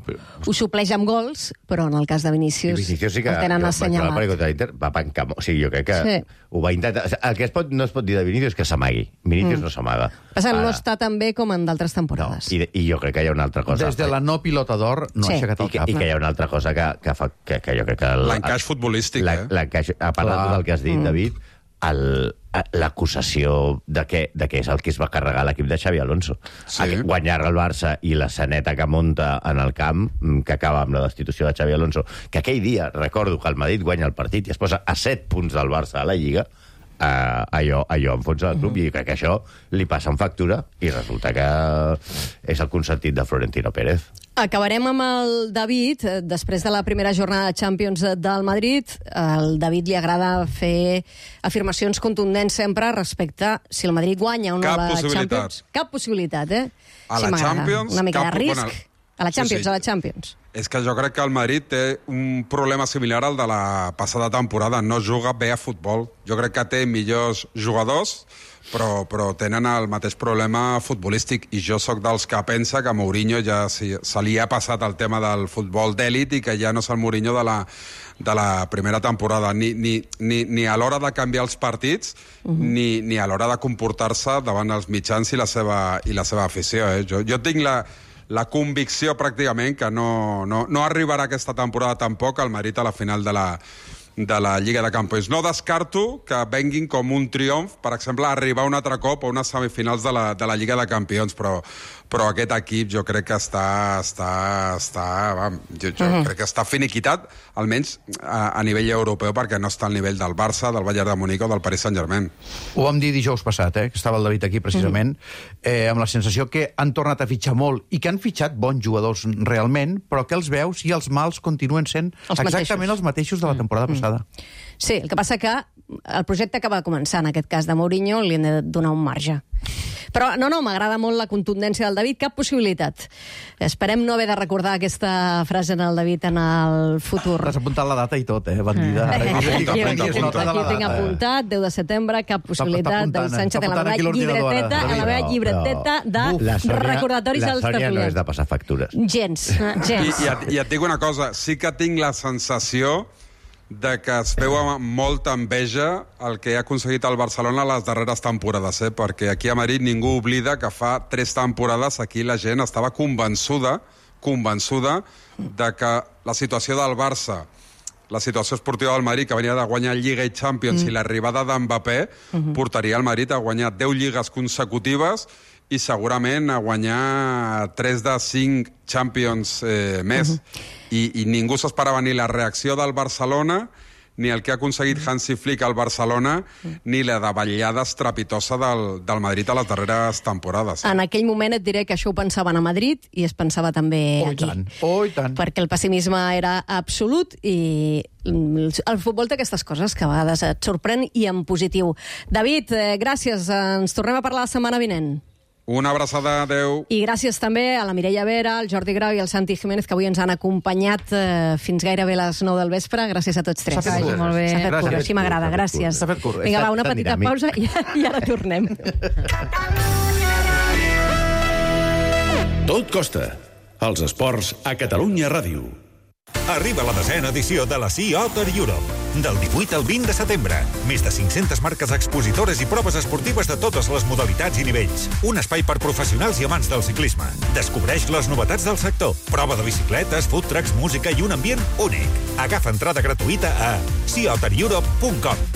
supleix amb gols, però en el cas de Vinícius sí que, el tenen assenyalat. Va pencar, o sigui, jo crec que ho va intentar. El que no es pot dir de Vinícius és que s'amagui. Vinícius no s'amaga. Passa, no està tan bé com en d'altres temporades. No, i jo crec que hi ha una altra cosa. Des de la no pilota d'or no ha aixecat el cap. I que hi ha una altra cosa que fa que jo crec que... L'encaix futbolístic, l'encaix, a part de tot el que has dit, David, l'acusació de que és el que es va carregar l'equip de Xavi Alonso. Guanyar el Barça i la saneta que munta en el camp, que acaba amb la destitució de Xavi Alonso, que aquell dia, recordo que el Madrid guanya el partit i es posa a 7 punts del Barça a la Lliga, allò enfonsa el club, i crec que això li passa en factura, i resulta que és el consentit de Florentino Pérez. Acabarem amb el David. Després de la primera jornada de Champions del Madrid, al David li agrada fer afirmacions contundents sempre respecte si el Madrid guanya o no la Champions. Cap possibilitat, A la Champions... Una mica de risc. A la Champions, a la Champions. És que jo crec que el Madrid té un problema similar al de la passada temporada. No juga bé a futbol. Jo crec que té millors jugadors, però tenen el mateix problema futbolístic, i jo sóc dels que pensa que Mourinho ja se li ha passat el tema del futbol d'èlit i que ja no és el Mourinho de la primera temporada, ni a l'hora de canviar els partits, ni a l'hora de comportar-se davant els mitjans i la seva afició. Jo tinc la convicció pràcticament que no arribarà aquesta temporada tampoc al Madrid a la final de la Lliga de Campions. No descarto que venguin com un triomf, per exemple, arribar un altre cop a unes semifinals de la Lliga de Campions, però aquest equip jo crec que crec que està finiquitat, almenys a nivell europeu, perquè no està al nivell del Barça, del Bayern de Munic o del Paris Saint-Germain. Ho vam dir dijous passat, que estava el David aquí precisament, amb la sensació que han tornat a fitxar molt i que han fitxat bons jugadors realment, però que els veus i els mals continuen sent exactament els mateixos de la temporada passada. Sí, el que passa que el projecte acaba de començar, en aquest cas de Mourinho, li hem de donar un marge. Però no, m'agrada molt la contundència del David, cap possibilitat. Esperem no haver de recordar aquesta frase en el David en el futur. T'has apuntat la data i tot, bandida. Aquí tinc apuntat, 10 de setembre, cap possibilitat. David Sánchez en la meva llibreteta de recordatoris als tertulians. La Sònia no és de passar factures. Gens. I et dic una cosa, sí que tinc la sensació de que es veu amb molta enveja el que ha aconseguit el Barcelona les darreres temporades, perquè aquí a Madrid ningú oblida que fa 3 temporades aquí la gent estava convençuda de que la situació del Barça, la situació esportiva del Madrid, que venia de guanyar Lliga i Champions, i l'arribada d'Mbappé portaria el Madrid a guanyar 10 lligues consecutives i segurament a guanyar 3 de 5 Champions més. I ningú s'esperava ni la reacció del Barcelona, ni el que ha aconseguit Hansi Flick al Barcelona, ni la davallada estrepitosa del Madrid a les darreres temporades. En aquell moment et diré que això ho pensaven a Madrid i es pensava també aquí. I tant. Perquè el pessimisme era absolut, i el futbol té aquestes coses que a vegades et sorprèn, i en positiu. David, gràcies. Ens tornem a parlar la setmana vinent. Una abraçada, adeu. I gràcies també a la Mireia Vera, al Jordi Grau i al Santi Jiménez, que avui ens han acompanyat fins gairebé a les 9 del vespre. Gràcies a tots tres. S'ha fet molt bé. S'ha fet curt, així m'agrada, gràcies. Vinga, va, una petita pausa i ara tornem. Tot costa. Els esports a Catalunya Ràdio. Arriba la 10ª edició de la Sea Otter Europe. Del 18 al 20 de setembre. Més de 500 marques expositores i proves esportives de totes les modalitats i nivells. Un espai per professionals i amants del ciclisme. Descobreix les novetats del sector. Prova de bicicletes, food trucks, música i un ambient únic. Agafa entrada gratuïta a seaottereurope.com.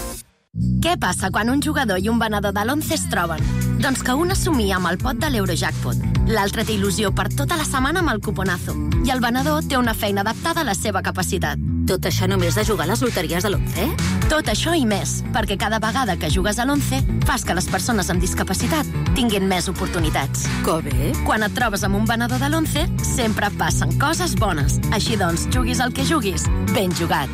Què passa quan un jugador i un venedor de l'11 es troben? Doncs que un assumia amb el pot de l'Eurojackpot, l'altre té il·lusió per tota la setmana amb el cuponazo, i el venedor té una feina adaptada a la seva capacitat. Tot això només de jugar a les loteries de l'11? Tot això i més, perquè cada vegada que jugues a l'11 fas que les persones amb discapacitat tinguin més oportunitats. Que bé! Quan et trobes amb un venedor de l'11, sempre passen coses bones. Així doncs, juguis el que juguis, ben jugat.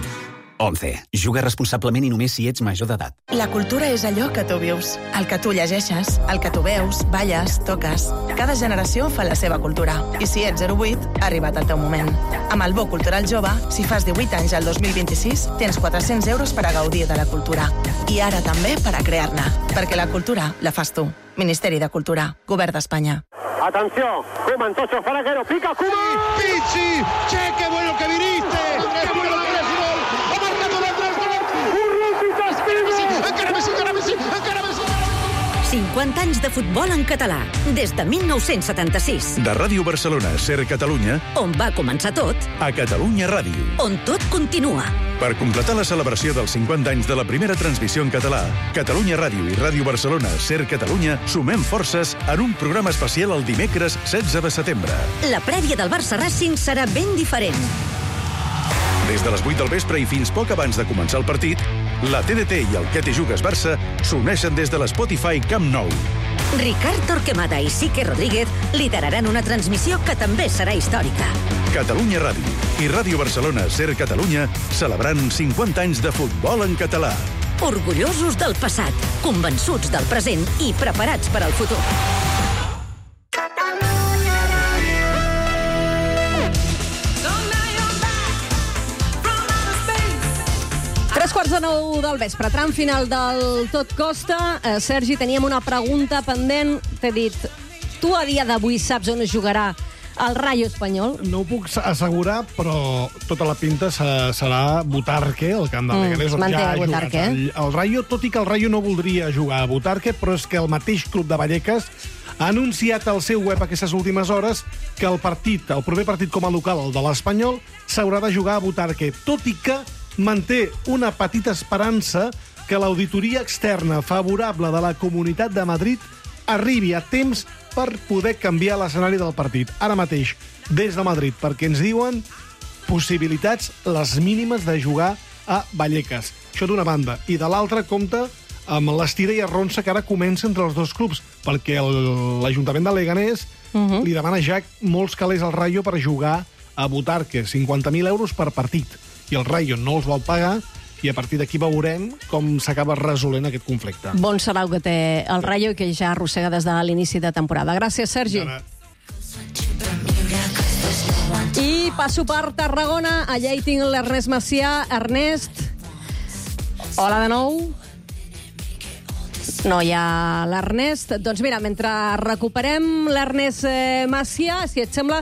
11. Juga responsablement i només si ets major d'edat. La cultura és allò que tu vius, el que tu llegeixes, el que tu veus, balles, toques. Cada generació fa la seva cultura. I si ets 08, ha arribat el teu moment. Amb el Bo Cultural Jove, si fas 18 anys al 2026, tens 400 euros per a gaudir de la cultura. I ara també per a crear-ne. Perquè la cultura la fas tu. Ministeri de Cultura. Govern d'Espanya. Atención, Koeman, Tocho, Faraguero, pica, Koeman. Pizzi, che, qué bueno que viniste. Qué bueno que eres gol. Ha marcado l'Andrés. Encara Messi. 50 anys de futbol en català, des de 1976. De Ràdio Barcelona, Ser Catalunya, On va començar tot, a Catalunya Ràdio. on tot continua. Per completar la celebració dels 50 anys de la primera transmissió en català, Catalunya Ràdio i Ràdio Barcelona, Ser Catalunya, sumem forces en un programa especial el dimecres 16 de setembre. La prèvia del Barça Racing serà ben diferent. Des de les 8 del vespre i fins poc abans de començar el partit, la TDT i el Que te jugues Barça s'uneixen des de l'Spotify Camp Nou. Ricard Torquemada i Sique Rodríguez lideraran una transmissió que també serà històrica. Catalunya Ràdio i Ràdio Barcelona, Ser Catalunya, celebrant 50 anys de futbol en català. Orgullosos del passat, convençuts del present i preparats per al futur. 8:45 del vespre, tram final del Tot Costa. Sergi, teníem una pregunta pendent. T'he dit, tu a dia d'avui saps on es jugarà el Rayo Espanyol? No ho puc assegurar, però tota la pinta serà Butarque, el camp de Leganés. Manté Butarque. El Rayo, tot i que el Rayo no voldria jugar a Butarque, però és que el mateix club de Vallecas ha anunciat al seu web aquestes últimes hores que el proper partit com a local, el de l'Espanyol, s'haurà de jugar a Butarque, tot i que manté una petita esperança que l'auditoria externa favorable de la Comunitat de Madrid arribi a temps per poder canviar l'escenari del partit. Ara mateix, des de Madrid, perquè ens diuen possibilitats les mínimes de jugar a Vallecas. Això d'una banda. I de l'altra, compta amb l'estira i arronsa que ara comença entre els dos clubs, perquè l'Ajuntament de Leganés li demana ja molts calés al Rayo per jugar a Butarque, 50.000 euros per partit. I el Rayo no els vol pagar, i a partir d'aquí veurem com s'acaba resolent aquest conflicte. Bon serà el que té el Rayo i que ja arrossega des de l'inici de temporada. Gràcies, Sergi. I passo per Tarragona. Allà hi tinc l'Ernest Macià. Ernest, hola de nou. No hi ha l'Ernest. Doncs mira, mentre recuperem l'Ernest Macià, si et sembla,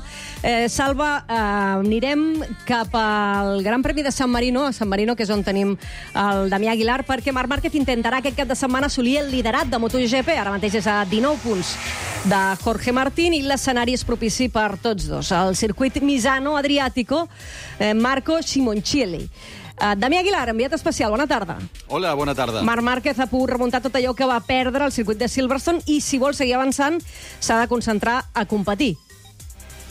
Salva, anirem cap al Gran Premi de San Marino, a San Marino, que és on tenim el Damià Aguilar, perquè Marc Márquez intentarà aquest cap de setmana assolir el liderat de MotoGP. Ara mateix és a 19 punts de Jorge Martín i l'escenari és propici per tots dos. El circuit Misano Adriàtico, Marco Simoncelli. Damià Aguilar, enviat especial, bona tarda. Hola, bona tarda. Marc Márquez ha pogut remuntar tot allò que va perdre al circuit de Silverstone i, si vol seguir avançant, s'ha de concentrar a competir.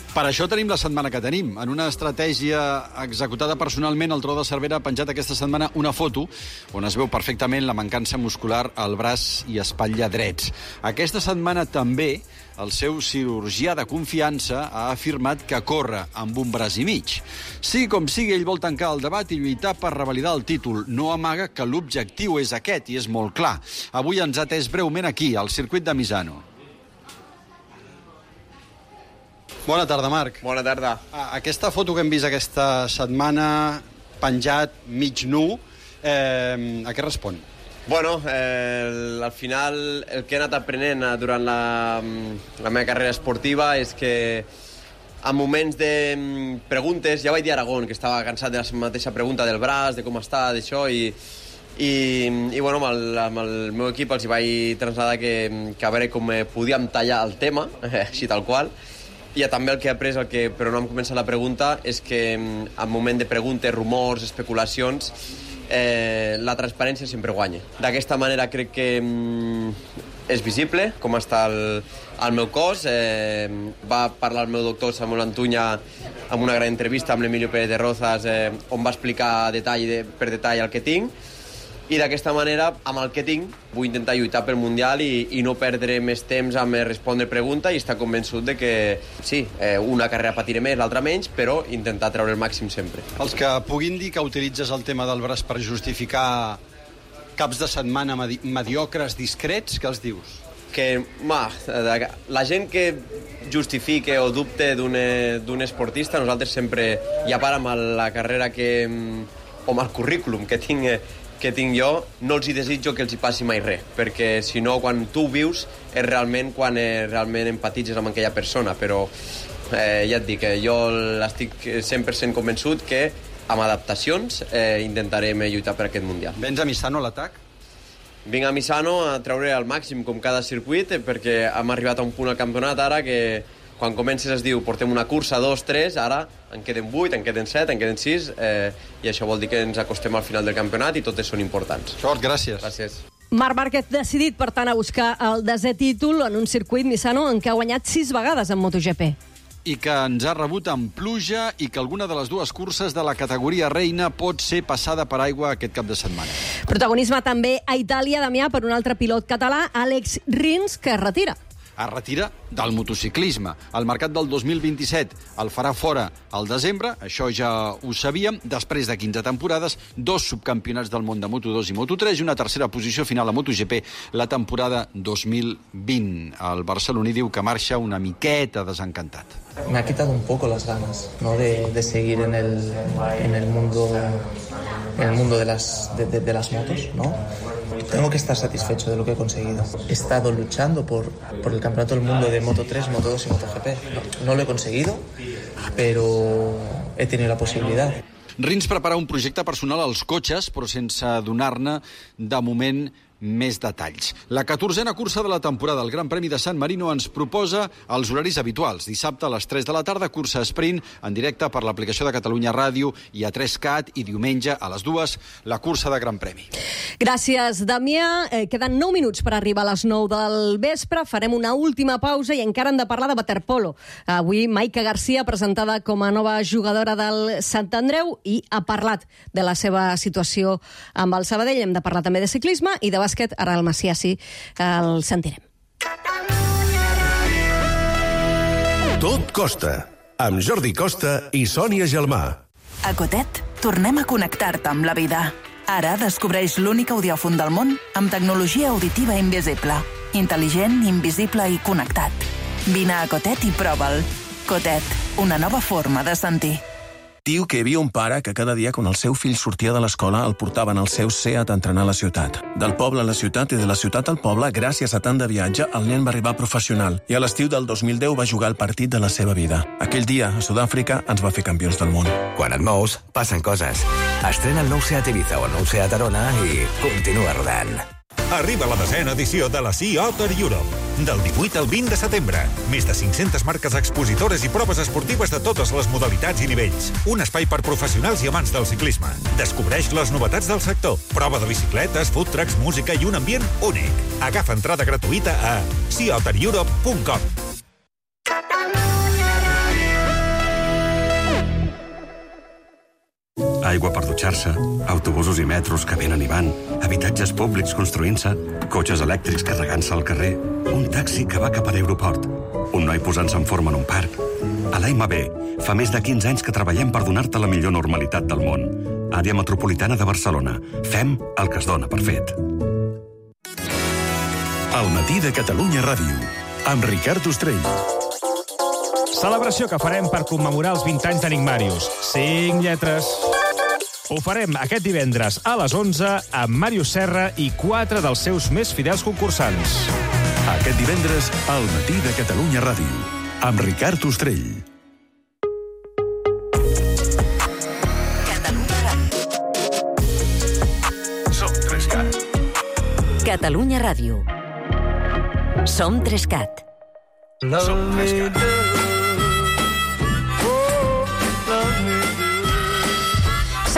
Per això tenim la setmana que tenim. En una estratègia executada personalment, el Tro de Cervera ha penjat aquesta setmana una foto on es veu perfectament la mancança muscular al braç i espatlla drets. Aquesta setmana també el seu cirurgià de confiança ha afirmat que corre amb un braç i mig. Sí, com sigui, ell vol tancar el debat i lluitar per revalidar el títol. No amaga que l'objectiu és aquest, i és molt clar. Avui ens ha atès breument aquí, al circuit de Misano. Bona tarda, Marc. Bona tarda. Aquesta foto que hem vist aquesta setmana, penjat, mig nu, a què respon? Bueno, al final el que he anat aprenent durant la meva carrera esportiva és que en moments de preguntes, ja vaig dir a Aragón, que estava cansat de la mateixa pregunta del braç, de com està, d'això, i bueno, amb el meu equip els vaig traslladar que a veure com podíem tallar el tema, així tal qual. I també el que he après, però no em comença la pregunta, és que en moment de preguntes, rumors, especulacions, la transparència sempre guanya. D'aquesta manera crec que és visible com està el meu cos. Va parlar el meu doctor Samuel Antuña amb una gran entrevista amb l'Emilio Pérez de Rozas, on va explicar per detall el que tinc, i d'aquesta manera, amb el que tinc, vull intentar lluitar pel Mundial i no perdre més temps amb respondre pregunta i estar convençut de que, sí, una carrera patiré més, l'altra menys, però intentar treure el màxim sempre. Els que puguin dir que utilitzes el tema del braç per justificar caps de setmana mediocres, discrets, què els dius? Que, la gent que justifique o dubte d'un esportista, nosaltres sempre, i a part amb la carrera o amb el currículum que tinc jo, no els hi desitjo que els hi passi mai res, perquè si no, quan tu ho vius, és realment quan realment empatitzes amb aquella persona, però ja et dic, jo estic 100% convençut que amb adaptacions intentarem lluitar per aquest Mundial. Vens a Misano a l'atac? Vinc a Misano a treure al màxim com cada circuit, perquè hem arribat a un punt al campionat ara que quan comences es diu portem una cursa, 2, 3, ara en queden 8, en queden 7, en queden 6, i això vol dir que ens acostem al final del campionat i totes són importants. Sort, gràcies. Gràcies. Marc Márquez decidit, per tant, a buscar el 10è títol en un circuit Misano en què ha guanyat 6 vegades en MotoGP. I que ens ha rebut amb pluja i que alguna de les dues curses de la categoria reina pot ser passada per aigua aquest cap de setmana. Protagonisme també a Itàlia, Damià, per un altre pilot català, Àlex Rins, que es retira. Es retira del motociclisme. El mercat del 2027 el farà fora al desembre, això ja ho sabíem, després de 15 temporades, 2 subcampionats del món de Moto2 i Moto3 i una tercera posició final a MotoGP la temporada 2020. El barceloní diu que marxa una miqueta desencantat. Me ha quitado un poco las ganas, ¿no?, de seguir en el mundo de las motos, ¿no? Tengo que estar satisfecho de lo que he conseguido. He estado luchando por el campeonato del mundo de Moto3, Moto2 y MotoGP. No lo he conseguido, pero he tenido la posibilidad. Rins prepara un projecte personal als cotxes, però sense donar-ne, de moment, més detalls. La 14a cursa de la temporada, el Gran Premi de San Marino, ens proposa els horaris habituals. Dissabte a les 3 de la tarda, cursa sprint en directe per l'aplicació de Catalunya Ràdio i a 3CAT, i diumenge a les 2 la cursa de Gran Premi. Gràcies, Damià. Queden 9 minuts per arribar a les 9 del vespre. Farem una última pausa i encara hem de parlar de waterpolo. Avui Maica Garcia, presentada com a nova jugadora del Sant Andreu, i ha parlat de la seva situació amb el Sabadell. Hem de parlar també de ciclisme i de bàsquet. Ara el Macià sí, el sentirem. Tot costa, amb Jordi Costa i Sònia Gelmà. A Cotet tornem a connectar-te amb la vida. Ara descobreix l'únic audiòfon del món amb tecnologia auditiva invisible. Intel·ligent, invisible i connectat. Vine a Cotet i prova'l. Cotet, una nova forma de sentir. Diu que hi havia un pare que cada dia, quan el seu fill sortia de l'escola, el portaven al seu Seat a entrenar a la ciutat. Del poble a la ciutat i de la ciutat al poble, gràcies a tant de viatge, el nen va arribar professional i a l'estiu del 2010 va jugar el partit de la seva vida. Aquell dia, a Sud-àfrica, ens va fer campions del món. Quan et mous, passen coses. Estrena el nou Seat Ibiza o el nou Seat Arona i continua rodant. Arriba la 10a edició de la Sea Otter Europe. Del 18 al 20 de setembre. Més de 500 marques expositores i proves esportives de totes les modalitats i nivells. Un espai per professionals i amants del ciclisme. Descobreix les novetats del sector. Prova de bicicletes, food trucks, música i un ambient únic. Agafa entrada gratuïta a seaottereurope.com. Aigua per dutxar-se, autobusos i metros que venen i van, habitatges públics construint-se, cotxes elèctrics carregant-se al carrer, un taxi que va cap a l'aeroport, un noi posant-se en forma en un parc. A l'AMB fa més de 15 anys que treballem per donar-te la millor normalitat del món. Àrea Metropolitana de Barcelona. Fem el que es dona per fet. El matí de Catalunya Ràdio, amb Ricard Ostrell. Celebració que farem per commemorar els 20 anys d'Enigmàrius. 5 lletres. Ho farem aquest divendres a les 11 amb Màrius Serra i 4 dels seus més fidels concursants. Aquest divendres, al matí de Catalunya Ràdio, amb Ricard Ostrell. Som 3CAT. Catalunya Ràdio. Som 3CAT. Som 3CAT.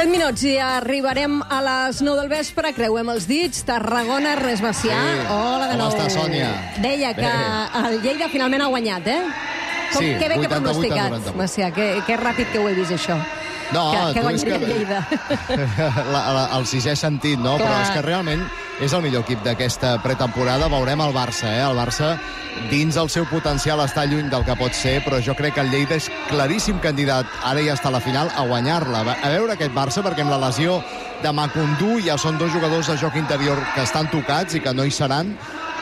7 minuts i arribarem a les 9 del vespre, creuem els dits, Tarragona, Ernest Macià. Sí. Hola de nou. Com està, Sònia? Deia que el Lleida finalment ha guanyat, eh? Sí, que bé que 88 a pronosticat, 90. Macià, que ràpid que ho he vist, això. No, que tu és guanyaria que... Lleida. el sisè sentit, no? Clar. Però és que realment és el millor equip d'aquesta pretemporada. Veurem el Barça, El Barça, dins el seu potencial, està lluny del que pot ser, però jo crec que el Lleida és claríssim candidat, ara ja està a la final, a guanyar-la. A veure aquest Barça, perquè amb la lesió de Macundú ja són 2 jugadors de joc interior que estan tocats i que no hi seran.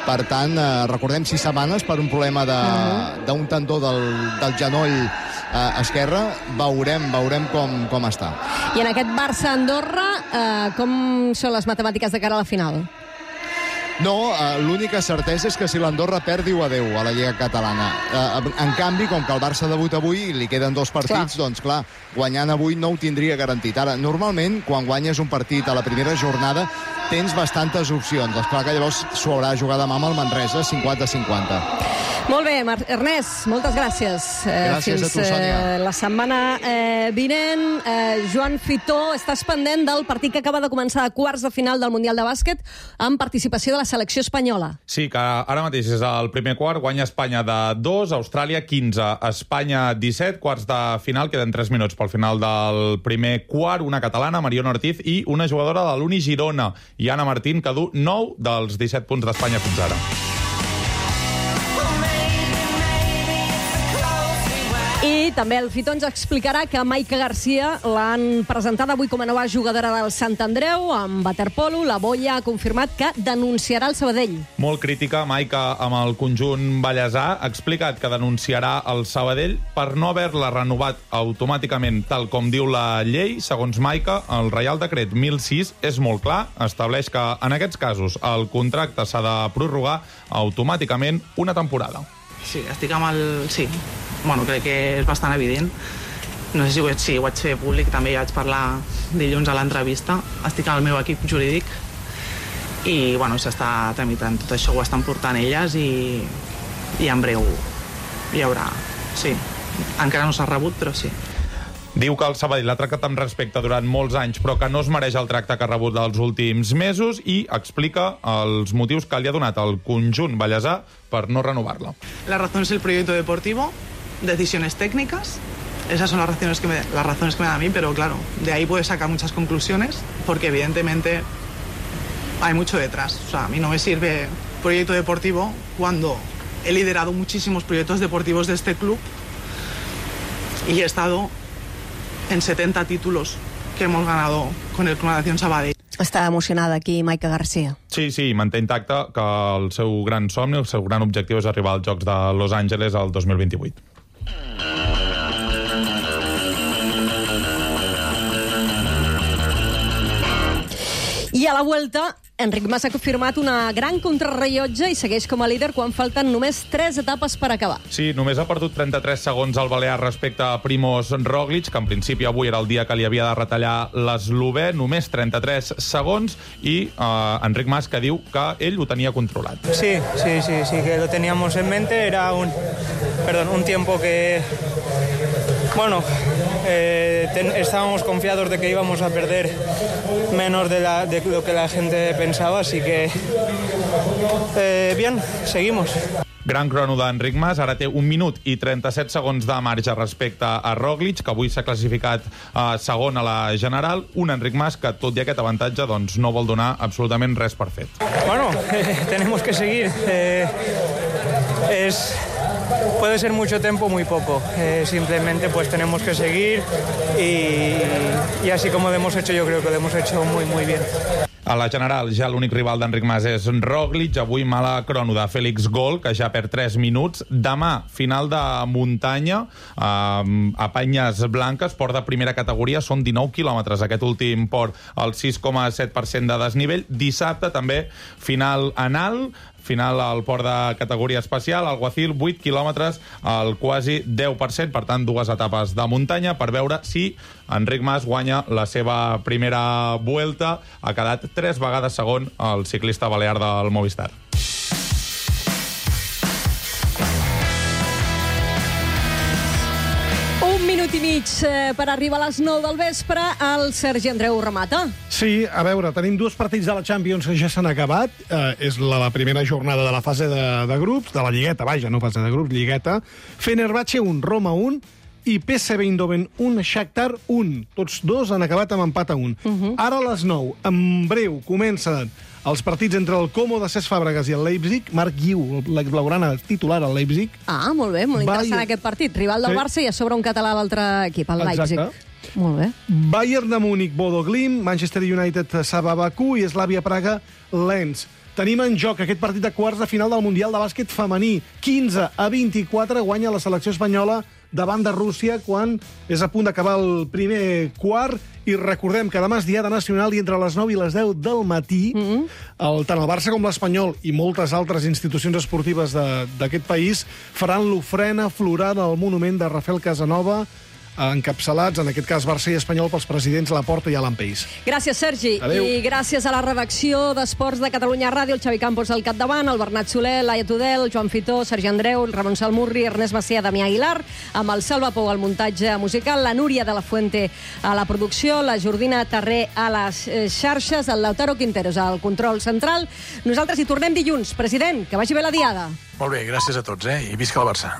Per tant, recordem 6 setmanes per un problema d'un tendó del genoll esquerre. Veurem com està. I en aquest Barça-Andorra, com són les matemàtiques de cara a la final? No, l'única certesa és que si l'Andorra perd, diu adeu a la Lliga Catalana. En canvi, com que el Barça debuta avui i li queden 2 partits, doncs clar, guanyant avui no ho tindria garantit. Ara, normalment, quan guanyes un partit a la primera jornada, tens bastantes opcions. Esclar que llavors s'ho haurà de jugar demà amb el Manresa, 50-50. Molt bé, Ernest, moltes gràcies. Gràcies a tu, Sònia. La setmana vinent, Joan Fitó, estàs pendent del partit que acaba de començar a quarts de final del Mundial de Bàsquet amb participació de la selecció espanyola. Sí, que ara mateix és el primer quart, guanya Espanya de 2, Austràlia 15, Espanya 17, quarts de final, queden 3 minuts pel final del primer quart, una catalana, Mariona Ortiz, i una jugadora de l'Uni Girona, Iana Martín, que du 9 dels 17 punts d'Espanya fins ara. I també el Fitó ens explicarà que Maica Garcia l'han presentat avui com a nova jugadora del Sant Andreu amb waterpolo. La Boia ha confirmat que denunciarà el Sabadell. Molt crítica, Maica, amb el conjunt ballesà. Ha explicat que denunciarà el Sabadell per no haver-la renovat automàticament, tal com diu la llei. Segons Maica, el Reial Decret 1006 és molt clar. Estableix que en aquests casos el contracte s'ha de prorrogar automàticament una temporada. Sí, estic amb el... Sí. Bueno, crec que és bastant evident. No sé si ho vaig fer públic, també ja vaig parlar dilluns a l'entrevista. Estic amb el meu equip jurídic i bueno, s'està tramitant. Tot això ho estan portant elles i en breu hi haurà... Sí, encara no s'ha rebut, però sí. Diu que el Sabadell l'ha tractat amb respecte durant molts anys, però que no es mereix el tracte que ha rebut dels últims mesos i explica els motius que li ha donat el conjunt ballesà per no renovar-la. La razón es el proyecto deportivo, decisiones técnicas. Esas son las razones que me dan a mí, pero claro, de ahí puedes sacar muchas conclusiones, porque evidentemente hay mucho detrás. O sea, a mí no me sirve proyecto deportivo cuando he liderado muchísimos proyectos deportivos de este club y he estado en 70 títulos que hemos ganado con el Club Natación Sabadell. Està emocionada aquí Maica Garcia. Sí, manté intacte que el seu gran somni, el seu gran objectiu és arribar als Jocs de Los Angeles el 2028. I a la Vuelta, Enric Mas ha confirmat una gran contrarrellotge i segueix com a líder quan falten només 3 etapes per acabar. Sí, només ha perdut 33 segons al balear respecte a Primož Roglič, que en principi avui era el dia que li havia de retallar l'eslovè, només 33 segons, i Enric Mas que diu que ell ho tenia controlat. Sí, que lo teníamos en mente, era un tiempo que... Bueno, estábamos confiados de que íbamos a perder menos de lo que la gente pensaba, así que bien, seguimos. Gran crono d'Enric Mas, ara té 1 minut i 37 segons de marge respecte a Roglič, que avui s'ha classificat segon a la general. Un Enric Mas que, tot i aquest avantatge, doncs, no vol donar absolutament res per fet. Bueno, tenemos que seguir. Puede ser mucho tiempo, muy poco. Simplemente pues tenemos que seguir y así como lo hemos hecho, yo creo que lo hemos hecho muy, muy bien. A la general, ja l'únic rival d'Enric Mas és Roglič. Avui mala crono de Félix Gol, que ja perd 3 minuts. Demà, final de muntanya, a Penyes Blanques, port de primera categoria, són 19 quilòmetres. Aquest últim port, el 6,7% de desnivell. Dissabte, també, final anal, final al port de categoria especial, Alguacil, 8 quilòmetres, al quasi 10%, per tant, 2 etapes de muntanya, per veure si Enric Mas guanya la seva primera Vuelta. Ha quedat 3 vegades segon el ciclista balear del Movistar. Un minut i mig per arribar a les 9 del vespre. El Sergi Andreu remata. Sí, a veure, tenim 2 partits de la Champions que ja s'han acabat. És la primera jornada de la fase de grups, de la Lligueta, vaja, no fase de grups, Lligueta. Fenerbahçe 1, Roma 1, i PSV Eindhoven 1, Shakhtar 1. Tots dos han acabat amb empat a 1. Ara a les 9, en breu, comencen els partits entre el Como de Cesc Fàbregas i el Leipzig. Marc Guiu, l'exblaugrana titular al Leipzig. Ah, molt bé, molt interessant aquest partit. Rival del Barça i a sobre un català a l'altre equip, el Leipzig. Exacte. Molt bé. Bayern de Múnich, Bodo Glimt, Manchester United, Saba Bakú i Slavia Praga, Lens. Tenim en joc aquest partit de quarts de final del Mundial de Bàsquet femení. 15-24 guanya la selecció espanyola davant de Rússia quan és a punt d'acabar el primer quart. I recordem que demà és diada nacional i entre les 9 i les 10 del matí tant el Barça com l'Espanyol i moltes altres institucions esportives d'aquest país faran l'ofrena floral al monument de Rafael Casanova, encapçalats, en aquest cas Barça i Espanyol, pels presidents Laporta i Alan Peis. Gràcies, Sergi. Adéu. I gràcies a la redacció d'Esports de Catalunya Ràdio, el Xavi Campos al capdavant, el Bernat Soler, Laia Tudel, Joan Fitó, Sergi Andreu, el Ramon Salmurri, Ernest Macià, Damià Aguilar, amb el Salva Pou al muntatge musical, la Núria de la Fuente a la producció, la Jordina Tarré a les xarxes, el Lautaro Quinteros al control central. Nosaltres hi tornem dilluns. President, que vagi bé la diada. Molt bé, gràcies a tots, i visca el Barça.